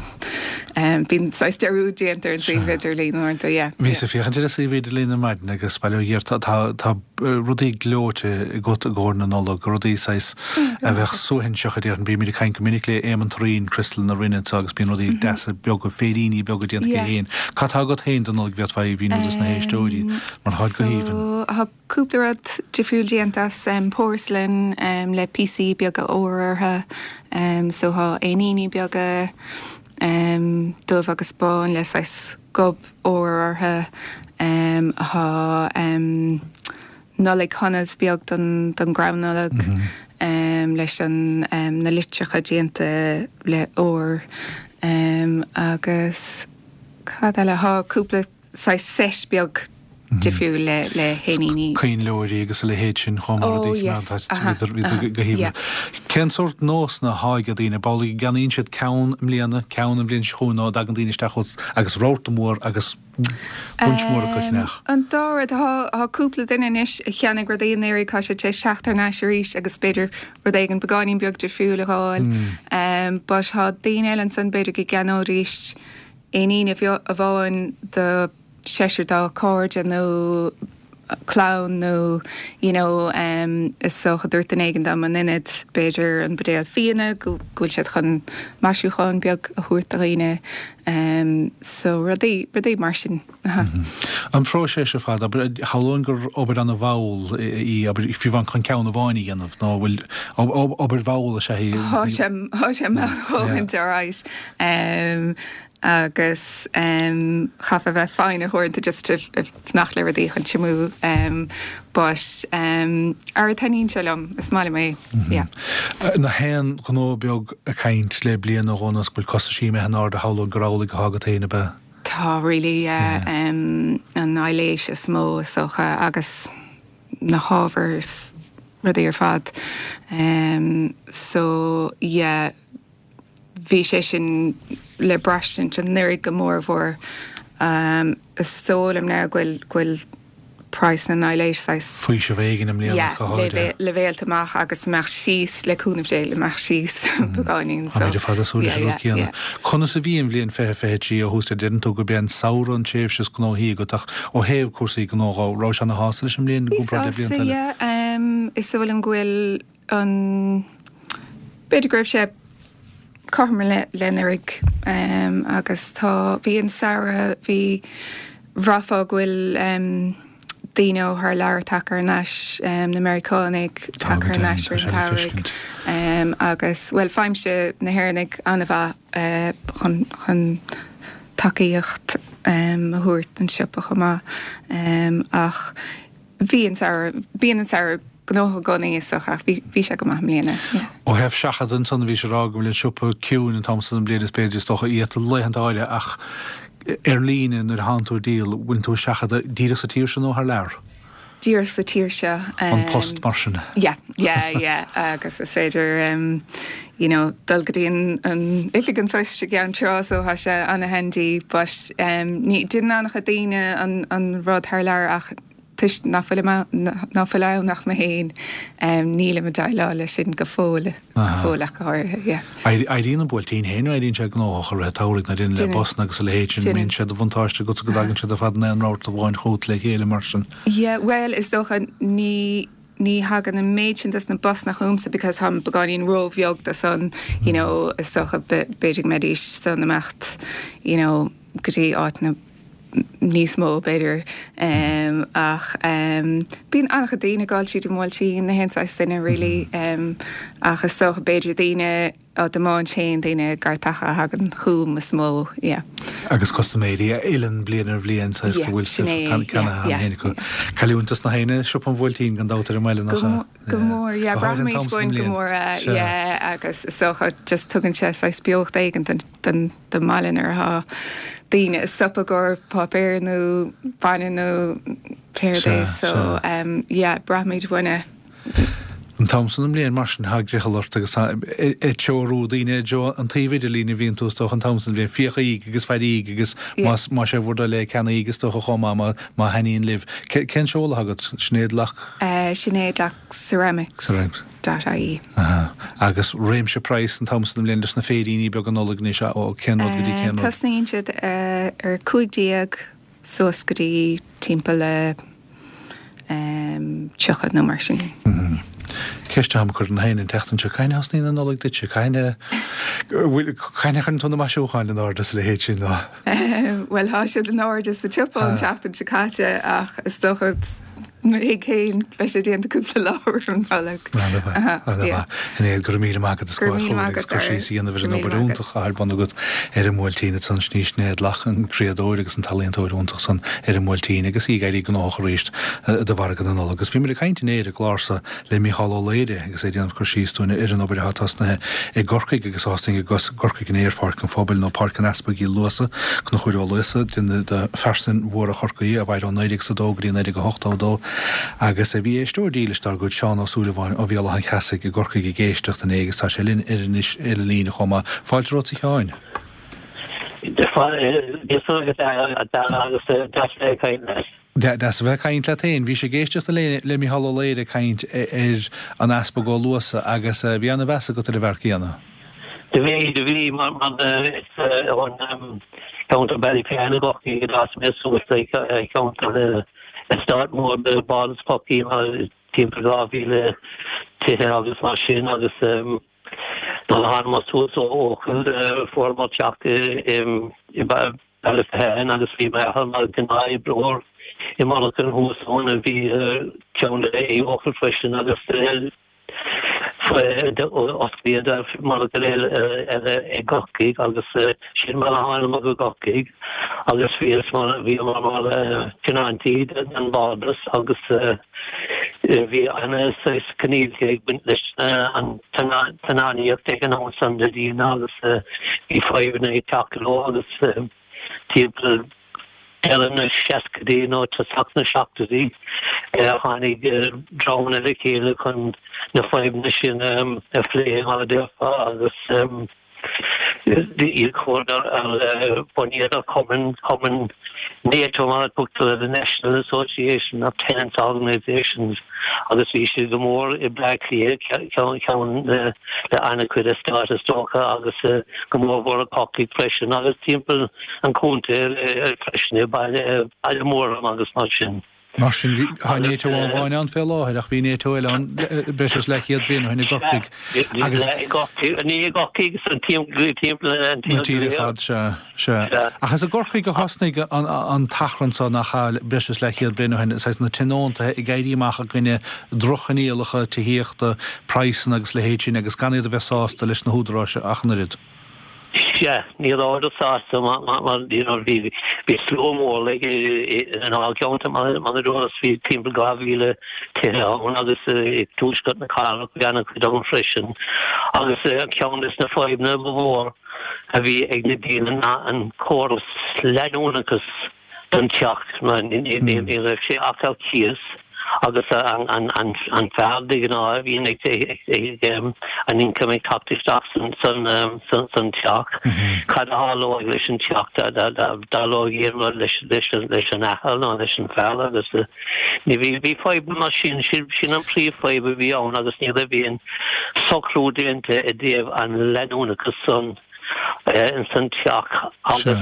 um, bíonn saghas dearúd déanta ar an suíomh idirlín uaireanta, yeah. Bhíos ag féachaint ar an suíomh idirlín ar maidin agus bail ó Dhia tá tá tá rudaí gleoite agat i gcomhair na Nollag, rudaí saghas a bheadh suaithinseach a déarfainn. Bímid ag caint go minic le Éamonn Turraoin, Criostal na Rinne anseo agus bíonn rudaí deasa beaga, féiríní beaga déanta aige féin. Cad tá agat féin don Nollaig a bhféadfá a mhíniú dos na héisteoirí mar táid go haoibhinn? So tá cúpla rud difriúil déanta as porcelain le píosaí beaga óir orthu. So tá éiníní beaga dubh agus bán le saghas gob óir orthu. Tá Nollaig Shonas beag don don gcrann Nollag leis an na litreacha déanta le ór agus cad eile? Tá cúpla saghas seit beag difriúil le le héiníní. Coinnleoirí agus a leithéid sin chomh maith, rudaí go haoibhinn. Cén sórt nósanna atá ag daoine? Ab amhlaidh go gceannaíonn siad ceann i mbliana, ceann an bhliain seo chugainn nó an dtagann daoine isteach chugat agus rabharta mór agus bunch mór acu a cheannach? An dá rud. Tá cúpla duine anois a cheannaigh rudaí anuraidh, tá siad tar éis teacht thar n-ais arís agus b'fhéidir rud éigin beagáinín beag difriúil a fháil. But tá daoine eile ansan b'fhéidir go gceannóidís éinín amháin do seisear dá cairde nó clann nó you know is dócha dúirt duine éigin dom in ionad b'fhéidir an buidéal fíona go bhfuil siad chun maisiúchán beag a thabhairt do dhaoine so rudaí rudaí mar sin. An phróiseas ar fad, abair, shamhlóinn gur obair ana mhall í, abair, fiú amháin chun ceann amháin a dhéanamh, nó bhfuil obair mhall is ea í? Tá sé tá sé mall a dhóthain alright. Agus chaithfeá bheith foighneach uaireanta just ag fanacht le rudaí chun tiomú but ara taitníonn sé liom, is maith liom é, yeah. Na haon ghnó beag ag caint le bliain nó dhó anuas go bhfuil costaisí imithe in airde shamhlóinn gur amhlaidh atá agat féin, ab ea? Tá really, yeah. An aibhléis is mó is dócha agus na hábhair is rudaí ar fad so yeah. Bhí sé sin le braistint anuraidh go mórmhór. Is dóigh liom now go bhfuil, go bhfuil praghas na n-aibhléis saghas. Faoiseamh éigin i mbliana ach go háirithe. Yeah, leibhéalta amach agus imeacht síos le cúnamh Dé, imeacht síos beagáinín so. Táimid ar fad ag súil leis an rud céanna. Conas a bhí an bhliain fiche fiche trí ó thús? Deireann tú gurb é an samhradh an tréimhse is gnóthaí agat ach ó thaobh cúrsaí gnó dhó, raibh sé ana shásta leis an mbliain i Bhí gcomparáid le sásta, blianta eile? yeah. Is dóigh liom go bhfuil an, b'fhéidir go raibh sé cothrom le le anuraidh agus tá, bhí an samhradh, bhí, bhraithfeá go bhfuil daoine ó thar lear tagtha thar n-ais, na Meiriceánaigh Tá tagtha go thar n-ais deimhin, tá ar sé an le tsamhraidh feiscint. agus, bhuel, faighimse na hÉireannaigh an-mhaith chun, chun tacaíocht a thabhairt don siopa chomh maith ach bhí an samhradh, bíonn an samhradh gnóthach i gcónaí is dócha ach bhí, bhí sé go maith i mbliana, yeah. Ó thaobh seachadadh ansan, bhís ag rá go bhfuil an siopa ciúin an t-am san den bhliain is b'fhéidir is dócha iata laethanta áirithe ach ar líne nuair a thánn tú ag díol, bhfuil tú ag seachadadh díreach sa tír seo nó thar lear? Díreach sa tír seo. An post mar sin. Yeah, yeah, yeah agus is féidir you know dul go dtí an, an oifig an phoist i gCeann Trá so tá sé an-handy but ní, déanann an-chuid daoine an, an rud thar lear ach toisc nach bhfuil ná fuil ann ach mé féin, nílim ag déileáil leis sin go fóill, go fóill ach go háirithe, yeah. Éiríonn an Buailtín féin, éiríonn sé gnóthach i rith an tsamhraidh nuair a le busanna agus a leithéid sin, mbíonn sé de bhuntáiste agatsa go dtagann siad ar fad in aon rabharta amháin chugat le chéile mar sin. Yeah, bhuel, is dócha ní ní thagann an méid sin dos na busanna chugamsa because táim beagáinín ró-bheag do san, you know, is dócha b'fhéidir go mbeidís san imeacht, you know, go dtí áiteanna níos mó b'fhéidir ach bíonn an-chuid daoine ag dul tríd an mBuailtín, na haon saghas duine really ach is dócha b'fhéidir daoine á dtiomáint féin, daoine gortacha a thagann chugam is mó, yeah. Agus custaiméirí a fhilleann bliain ar bhliain saghas go bhfuil sibh ceannaithe cheana féin acu. Cailliúint dos na héinne, siopa an Bhuailtín gan dabht ar an mbaile nach ea? Go mór, yeah, braithimid uainn go mór é, yeah, agus is dócha just tugann sé saghas beocht éigin don don don mbaile nuair atá daoine ag stopadh i gcomhair páipéar nó bainne nó pé rud é so yeah braithimid uainn é. An t-am san den mbliain mar sin tá griothal ort agus tá ag treorú daoine i dtreo an tsuímh idirlín a bhíonn tú is dócha an t-am san den bhliain. Féachaigí agus fairígí agus más más é bhur dtoil é ceannaígí is dócha chomh maith má má thaitníonn libh. Cén seoladh agat? Sinéad Lock? Sinéad Lock Ceramics. Ceramics. dot ie. Aha. Agus réimse praghas an t-am san den bhliain leis na féiríní beaga Nollag anois, ó cén rud go dtí cén rud? Tosnaíonn siad ar cúig déag suas go dtí timpeall le tríocha nó mar sin. Ceist atá agam féin an tseachtain seo, cathain a thosnaíonn an Nollaig duitse? Cathain a cathain a chuireann tú na maisiúcháin in airde is a leithéid sin ná? Bhuel tá siad in airde sa tsiopa an tseachtain seo caite ach is dócha mo thigh féin beidh sé déanta cúpla lá roimh an Nollaig. Ana-mhaith, ana-mhaith. Sinéad, go raibh míle maith agat as Go raibh míle maith agus agat, cur síos a dhéanamh ar an obair iontach atá ar bun agat ar an mBuailtín ansan. Sin í Sinéad Locke, an criadóir agus an t-ealaíontóir iontach san ar an mBuailtín agus í ag éirí gnóthach arís do mhargadh na Nollag. Agus bhíomar ag caint inné ar an gclár so le Mícheál Ó Laoire agus é ag déanamh cur síos dúinn ar an obair atá tosnaithe i gCorcaigh agus a thosnaigh i gCorcaigh inné ar Pháirc an Phobail nó Páirc an Easpaig Uí Luasa, Conchúr Ó Luasa, duine de phearsain mhóra Chorcaí a mhair ó naoi déag is a dó go dtí naoi déag a hochtó a dó agus bhí éisteoir dílis dár gcuid Seán Ó Súilleabháin ó Bhéal Átha an Cheasaigh i gCorcaigh ag éisteacht inné agus tá sé linn ar anois ar an líne chomh maith. Fáilte romhat a Sheáin. Agus deas a bheith ag caint leat. Deas a bheith ag caint leat féin. Bhís ag éisteacht le Mícheál Ó Laoire ag caint ar an Easpag Ó Luasa agus bhí ana-mheas agat ar an bhfear céanna. Do bhí, do bhí, mar is ón cheantar Ballyphehane i gCorcaigh a d'fhás mé suas, ceantar eastát mór de Bhardas Chorcaí, timpeall dhá mhíle tithe agus mar sin agus nuair a thánamar suas ó Eochaill fuaireamar teach i Ballyphehane agus bhí m'athair mar ghnáth-oibreoir i monarcha thuas ann a bhí ceann i Eochaill freisin agus Osclaíodh monarcha eile i gCorcaigh agus sin mar a thánamar go Corcaigh agus bhíos mar bhíomar mar tionóntaí den bhardas agus bhí ana saghas coinníollacha ag baint leis an tionóntaíocht ag an am san de daoine agus bhí fadhbanna ag teacht leo agus timpeall deireadh na seascaidí nó tosach na seachtóidí, tháinig dreamanna le chéile chun na fadhbanna sin a phlé, mar a déarfá, agus chuadar ar bunaíodar cumann, cumann NATO mar a tugtar air, the National Association of Tenants Organisations, agus bhí siad go mór i mBleá Cliath, ceann le an-chuid eastát is dócha, agus go mórmhór i gCorcaigh freisin, agus timpeall an chontae freisin, i Baile Mhúirne agus mar sin. Mar sin, tá NATO amháin ann fé láthair, ach bhí NATO eile ann breis is leathchéad bliain ó shin i gCorcaigh. Agus. I gCorcaigh, ní i gCorcaigh, san timpeall an tír. Na tíre ar fad, sea, sea. Ach is i gCorcaigh a thosnaigh an t-achrann so nach ea, breis is leathchéad bliain ó shin, saghas na tionóntaithe ag éirí amach i gcoinne droch-choinníollacha tithíochta, praghsanna agus a leithéid sin agus gan iad a bheith sásta leis na húdaráis ach an oiread. Sea, ní rabhadar sásta mar you know bhí bhí slua mór like in ár gceantar mar mar a dúras bhí timpeall dhá mhíle tithe ann agus i dtuaisceart na cathrach bhí an-chuid ann freisin agus ceann des na fadhbanna ba mhór a bhí ag na daoine ná an córas leanúnachas don teach mar ní raibh sé ach ar cíos agus an fear de ghnáth a bhíonn ag an income ag teacht isteach san teach. Cad a tharlóidh leis an teach dá dtarlóidh aon rud leis an athair nó leis an fear agus ní bhí bhí fadhbanna mar sin, sin an príomhfhadhb a bhí ann agus ní raibh aon socrú déanta i dtaobh an leanúnachas san ins an teach agus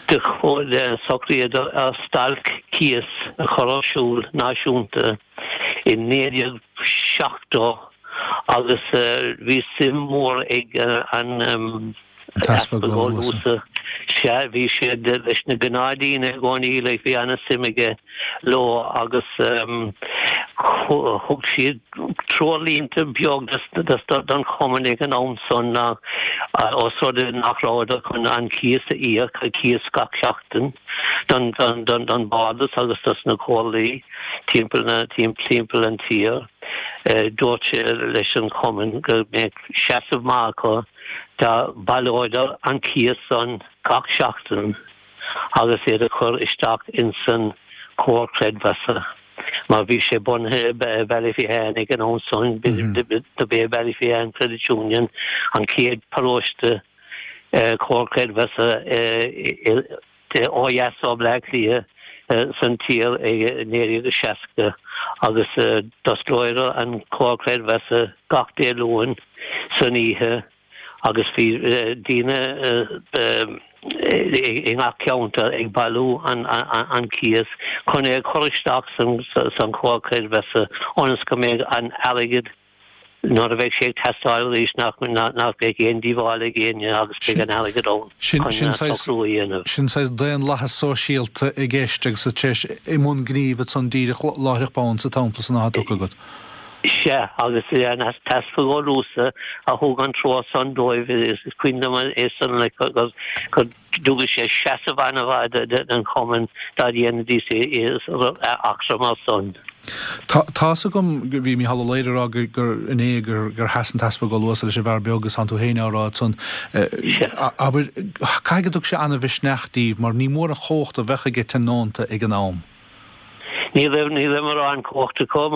Do socraíodar ar stailc cíos a chur ar siúl náisiúnta i naoi déag seachtó agus bhí suim mhór ag an Easpag Ó Luasa, sea, bhí sé leis na gnáthdaoine i gcónaí, like, bhí ana-suim aige leo agus thug siad treoirlínte beag don chumann ag an am san ná ós rud é nach rabhadar chun an cíos a íoc, cíos gach seachtain don bhardas agus dos na comhairlí timpeall an tír. Dúirt sé leis an chumann go mbeadh seasamh maith acu dá mbaileoidar an cíos san gach seachtain agus iad a chur isteach insan Comhar Creidmheasa. Mar bhí sé bunaithe i Ballyphehane ag an am san, dob é Ballyphehane Credit Union an chéad paróiste Comhar Creidmheasa ó dheas ó Bhleá Cliath san tír i naoi déag seasca agus d'osclaíodar an Comhar Creidmheasa gach Dé Luain san oíche agus bhí daoine i ngach ceantar ag bailiú an cíos chun é a chur isteach san chomhar creidmheasa ionas go mbeidh an airgead nuair a bheidh sé ag teastáil arís nach mbeidh aon díobháil ag éinne agus beidh an airgead ann chun socrú a dhéanamh. Sin saghas daonlathas sóisialta i gceist agus tar éis i mbun gnímh ansan díreach láithreach bonn sa tsampla san atá tugtha agat. Sea, agus an tEaspag Ó Luasa a thug an treoir san dóibh, is cuimhin liom é san go dtugadh sé seasamh an-mhaith don chumann dá ndéanfaidís eachtra mar san. Tá's agam go bhí Mícheál Ó Laoire ag rá gur inné gur sheas an tEaspag Ó Luasa leis an bhfear beag agus tánn tú féin á rá ansan. Abair, caithfidh go dtug sé an-mhisneach daoibh mar ní mór an chumhacht a bheadh aige tionónta ag an am. Ní raibh ní raibh mórán cumhachta acu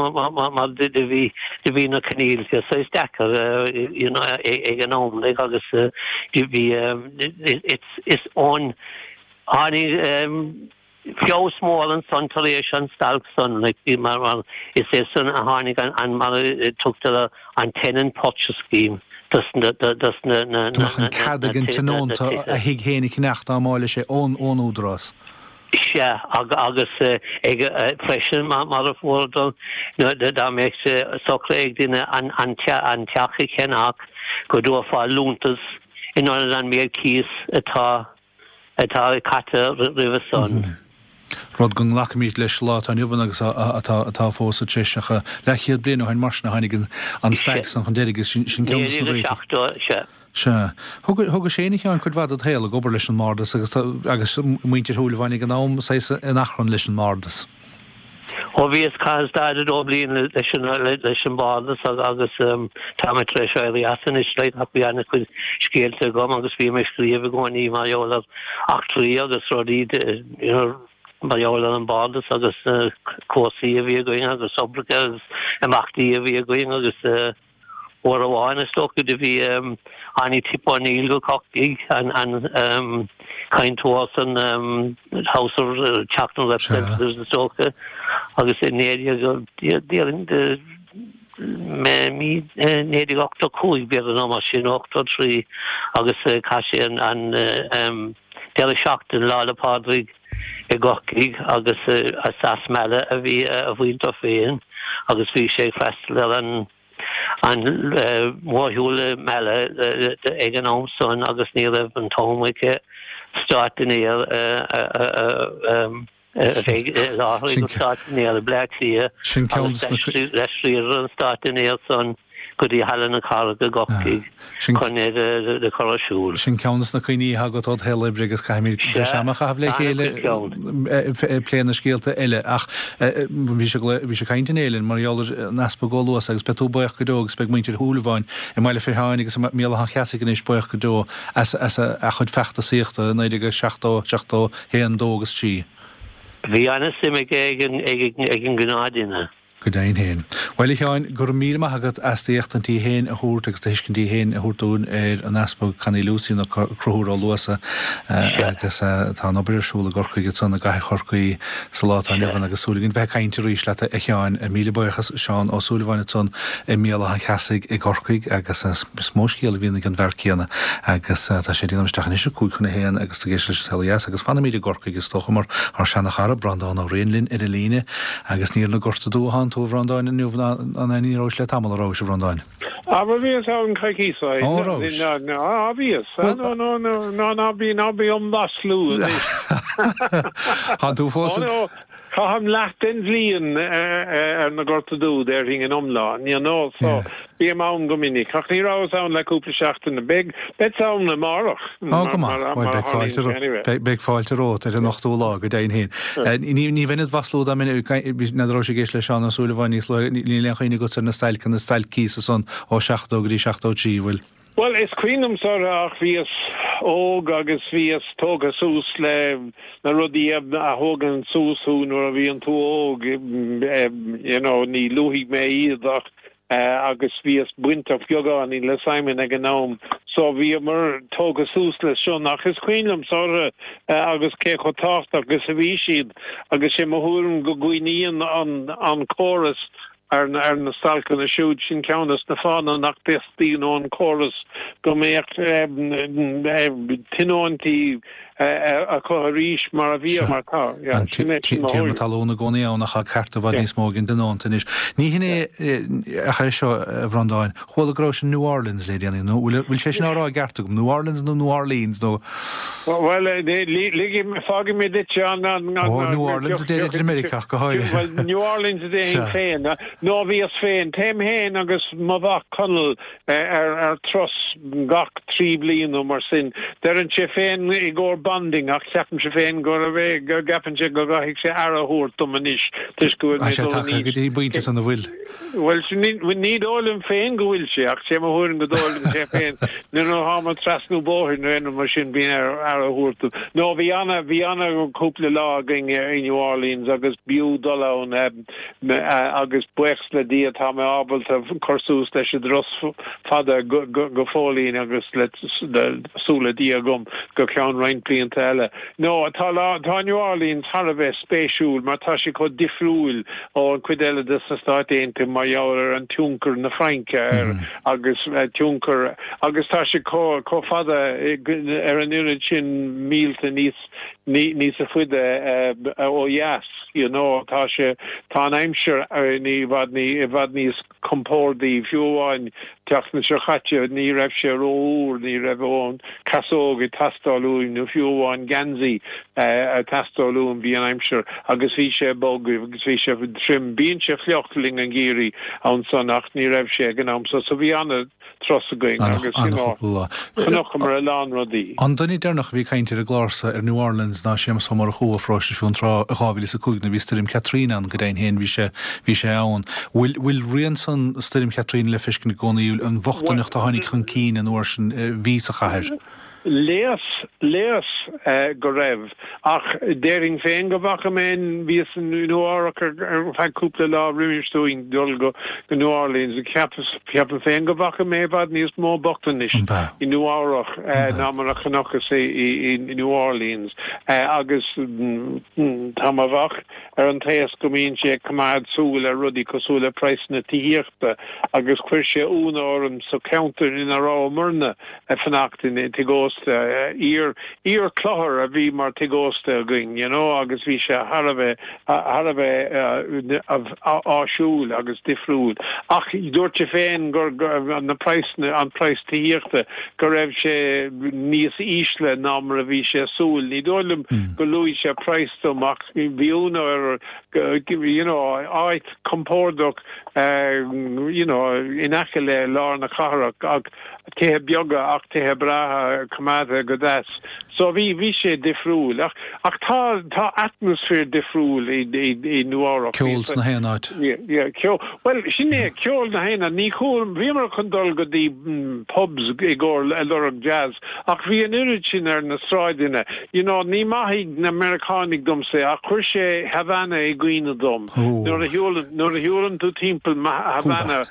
mar do bhí do bhí na coinníollacha saghas deacair you know ag an am like agus do bhí is ón tháinig feabhas mór ansan tar éis an stailc san like mar mar is é san a tháinig an an mar a tugtar an Tenant Purchase Scheme dos na dos na na na an cead ag an tionónta a thigh féin a cheannacht dá mb'áil leis é ón ón údarás. Sea, agus ag freisin mar a fuaireadar dá mbeadh sé socraithe ag duine an teach a cheannach go dtabharfá liúntas in ionad an méid cíos atá atá caite roimhe san. Rud go nglacfaimid leis sa lá atá inniu ann agus atá atá fós sa treis ach leathchéad bliain ó shin mar sin a tháinig an stailc san chun deiridh agus sin ceann de na réitigh. Sea. Sea. Thógais féin, a Sheáin, cuid mhaith dod shaol ag obair leis an mBardas agus agus muintir Shúilleabháin ag an am, saghas in achrann leis an mBardas. Ó bhíos, chaitheas daichead a dó bliain leis an leis an mBardas agus tá mé tar éis éirí as anois like ach bhí an-chuid scéalta agam agus bhí mé ag scríobh i gcónaí mar gheall ar eachtraí agus rudaí you know mar gheall ar an mBardas agus na cúrsaí a bhí againn agus oibreacha agus imeachtaí a bhí againn agus Uair amháin is dócha do bhí tháinig Tip O'Neill go Corcaigh, an cainteoir san House of Teach na Representatives is dócha, agus i naoi déag déarfainn mí naoi déag ochtó cúig b'fhéidir nó mar sin, ochtó trí, agus chaith sé an deireadh seachtaine Lá 'le Pádraig i gCorcaigh agus as Mala a bhí a mhuintir féin agus bhí sé ag freastal ar an an mórshiúl i Mala ag an am san agus ní raibh an t-am aige stát dinnéir a bheith i láthair ag an stát dinnéir i Bleá Cliath agus d'aistríodar an stát dinnéir san go dtí Halla na Cathrach i gCorcaigh chun é do chur ar siúl. Sin ceann des na cuimhní atá agat ód shaol oibre agus caithfimid breis ama a chaitheamh le chéile ag plé na scéalta eile ach bhí sé bhí sé ag caint inné linn mar gheall ar an Easpag Ó Luasa agus beidh tú buíoch go deo agus beidh muintir Shúilleabháin i mBaile Feartháin agus i mBéal Átha an Cheasaigh anois buíoch go deo as as a chuid feachtasaíochta i naoi déag seachtó, seachtó haon, dó agus trí. Bhí an-suim aige ag an ag an ghnáthdhuine. Go deimhin féin. Bhuel, a Sheáin, go raibh míle maith agat as d'éachtaintí féin a thabhairt agus do thuiscintí féin a thabhairt dúinn ar an Easpag Connie Lucey nó Conchúr Ó Luasa agus tá an obair ar siúl i gCorcaigh ansan i gcathair Chorcaí sa lá atá inniu ann agus súil againn bheith ag caint arís leat a Sheáin. Míle buíochas Seán Ó Súilleabháin ansan i mBéal Átha an Cheasaigh i gCorcaigh agus is mó scéal a bhíonn ag an bhfear céanna agus tá sé ag déanamh isteach anois ar cúig chun a haon agus tú ag éisteacht leis an Saol Ó Dheas agus fanfaimid i gCorcaigh is dócha mar ár seana-chara Breandán Ó Riain linn ar an líne agus ní ar na Gorta Dubha atánn tú a Bhreandáin inniu ná ní rabhais le tamall a rabhais a Bhreandáin? Á bhuel bhíos ann coicís ó shin. Ó rabhais? Á bhíos. Nó nó nó ná ná bí ná bí dom mhaslú anois. Tánn tú fós Ó nó caithim leath den bhliain ar na Gorta Dubha déarfainn in iomlán you know so bím ann go minic ach ní rabhas ann le cúpla seachtain. Beidh beidh ann amárach Ó go maith. Bhuel beidh fáilte anyway. Beidh fáilte romhat ar an ochtú lá go deimhin féin. Ní bheinn id mhaslú dá mbeinn n'fheadar rabhais ag éisteacht le Seán Ó Súilleabháin níos luaithe, níl aon chuimhne agatsa ar na stailceanna, stailc cíosa san ó seachtó go dtí seachtó trí, bhfuil? Bhuel, is cuimhin liomsa orthu ach bhíos óg agus bhíos tógtha suas le na rudaí a thógann suas thú nuair a bhíonn tú óg, you know, ní luafaidh mé iad ach agus bhíos bainteach beagáinín le Simon ag an am so bhíomar tógtha suas leis sin ach is cuimhin liomsa orthu agus cé chomh tábhachtach agus a bhí siad agus sé mo thuairim go gcoinníonn an an córas ar ar na stailceanna siúd sin ceann des na fáthanna nach dteastaíonn ón córas go mbeadh tionóntaí acu arís mar a bhí mar tá. Tiarna talún i gcónaí ann ach tá cearta i bhfad níos mó ag an dtionónta anois. Ní hin é ach é seo a Bhreandáin. Chuala go raibh sin New Orleans le déanaí nó bhfuil sé sin á rá i gceart agam New Orleans nó New Orleans nó Well fágfaidh mé duit an Ó New Orleans a deir idir Meiriceach go háirithe. Well New Orleans a déarfainn féin nó bhíos féin téim féin agus mo mhac Conall ar ar turas gach trí bliana nó mar sin. Deireann sé féin i gcomhair bonding ach ceapaimse féin gurb é go gceapann sé go gcaithfidh sé aire a thabhairt dom anois toisc go bhfuil mé dul in aois. Go dtí an bpointe san a bhfuil. Bhuel ní dóigh liom féin go bhfuil sé ach sé mo thuairim go dóigh liom sé féin nuair a tháim ag trasnú bóthair nó aon rud mar sin bíonn air aire a thabhairt dom. No bhí ana bhí ana cúpla lá againn i New Orleans agus b'fhiú dul ann agus buíochas le Dia tá mé ábalta cur suas leis an dturas fada go fóillín agus le súil le Dia agam go ceann roinnt blianta eile. No, tá lá, tá New Orleans thar a bheith spéisiúil mar tá sé chomh difriúil ó an cuid eile de sna Stáit Aontaithe mar gheall ar an tionchar na Fraince air agus tionchar agus tá sé chomh chomh fada ar an oiread sin mílte níos níos faide ó dheas, you know, tá sé tá an aimsir ní i bhfad ní i bhfad níos compordaí fiú amháin tseachtain seo chaite ní raibh sé rófhuar, ní raibh aon casóg ag teastáil uaim nó fiú amháin geansaí ag teastáil uaim, bhí an aimsir agus bhí sé bog agus bhí sé trim. Bíonn sé fliuch le linn an gheimhridh ansan ach ní raibh sé ag an am so, so bhí an-turas againn agus you know chonaiceamar a lán rudaí. An duine deireanach a bhí ag caint ar an gclár-sa ar New Orleans ná Séamus Ó Murchú ó Pharóiste Fionntrá i dhá mhíle is a cúig nuair a bhí Stoirm Katrina ann, go deimhin féin bhí sé bhí sé ann. Bhfuil bhfuil rian san Stoirm Katrina le feiscint i gcónaí, an bhochtaineacht a tháinig chun cinn an uair sin a bhí sa chathair? Léas, léas go raibh, ach déarfainn féin go bhfaca mé, bhíos i Nua Eabhrac ar feadh cúpla lá roimis dúinn dul go New Orleans, ceapas, ceapaim féin go bhfaca mé i bhfad níos mó bochtanais i Nua Eabhrac ná mar a chonacthas i New Orleans agus tá mo mhac ar an taos go mbíonn sé ag coimeád súil ar rudaí cosúil le praghsanna tithíochta agus chuir sé ionadh orm sa cheantar ina rabhamarna ag fanacht in tigh ósta, iar, iar-chlochar a bhí mar tigh ósta againn, you know, agus bhí sé thar a bheith, thar a bheith áisiúil agus difriúil. Ach dúirt sé féin gur, na praghsanna, an praghas tithíochta, go raibh sé níos ísle ná mar a bhí sé ag súil. Ní dóigh liom go luaigh sé praghas dom ach bhí ionadh air you know, áit compordach you know, in aice le lár na cathrach ach tithe beaga ach tithe breátha coimeádta go deas. So bhí bhí sé difriúil ach ach tá tá atmaisféar difriúil i i i Nua Eabhrac. Ceol sna haon áit. Yeah, yeah, ceol. Bhuel, sin é, ceol na haon áit. Ní chuala, bhíomar chun dul go dtí pubs i gcomhair ag lorg jazz ach bhí an oiread sin ar na sráideanna. You know, ní maithfidh na Meiriceánaigh domsa é ach chuir sé Havana i gcuimhne dom. Nuair a shiúlann nuair a shiúlann tú timpeall Havana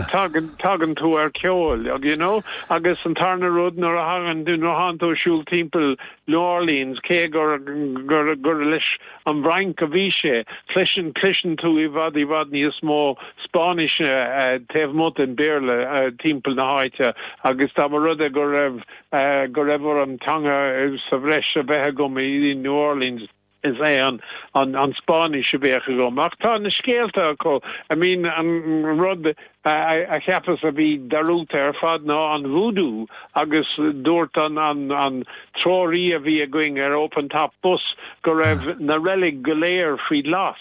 tagann tagann tú ar ceol, you know. Agus an tarna rud nuair a thagann nuair a tánn tú ag siúl timpeall New Orleans cé gur gur gur leis an bhFrainc a bhí sé, cloiseann cloiseann tú i bhfad i bhfad níos mó Spáinnise taobh amuigh den Bhéarla timpeall na háite agus dá mba rud é go raibh go raibh orm teanga sa bhreis a bheith agam i New Orleans is é an an Spáinnis a bheadh agam. Ach tá na scéalta acu, I mean an rud a cheapas a bhí dearúdta ar fad ná an voodoo agus dúirt an an an treoraí a bhí againn ar open top bus go raibh na reilig go léir faoi ghlas.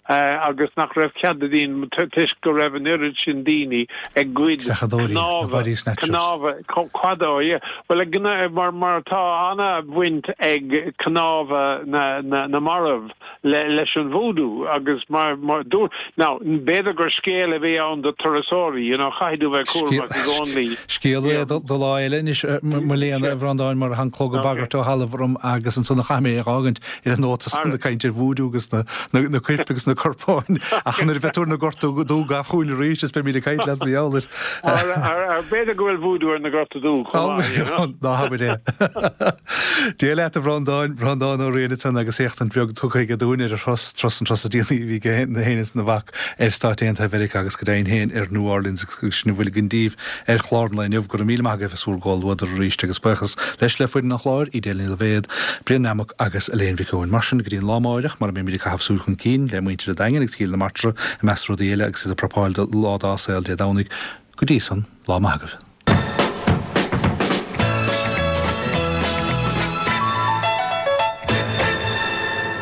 agus nach raibh cead ag daoine toisc go raibh an oiread sin daoine ag goid Creachadóirí, na cnámha, body snatchers. cnámha, cado, yeah. Bhuel, ag, mar, mar tá ana-bhaint ag cnámha na, na, na marbh le, leis an voodoo agus mar, mar dúirt, now, b'fhéidir gur scéal a bhí ann do turasóirí, you know, chaithfidh tú bheith cúramach i gcónaí. Scéal é do, do lá eile anois, mo léan, a Bhreandáin, mar tá an clog ag bagairt ó thalamh orm agus ansan a chaithfidh mé a dh'fhágaint ar an nóta san ag caint ar voodoo agus na, na, na coirp agus na corpáin ach nuair a bheidh tú ar na Gorta Dubha gabh chugainn arís is beimid ag caint leat mar gheall air. Ar b'fhéidir go bhfuil voodoo ar na Gorta Dubha chomh maith, you know. Ná habair é. Dia leat a Bhreandáin, Breandán Ó Riain ansan agus éachtaint bheag tugtha aige dúinn ar a thuras, turas an turas is déanaí a bhí aige féin is a mhac ar Stáit Aontaithe Mheiriceá agus go deimhin féin ar New Orleans agus sin a bhfuil againn daoibh ar chlár an lae inniu. Go raibh míle maith agaibh as bhur gcomhluadar arís agus buíochas leis le foireann an chláir, Edel Ní Loibhéad, Brian Nammock agus Elaine Mhic Eoin. Mar sin, go dtí an lá amáireach, mar a mbeimid ag caitheamh súil chun cinn le muintir an Daingin agus Chill na Martra i measc rudaí eile agus iad ag prapáil do lá dá saol Dé Domhnaigh. Go dtí san, lá maith agaibh.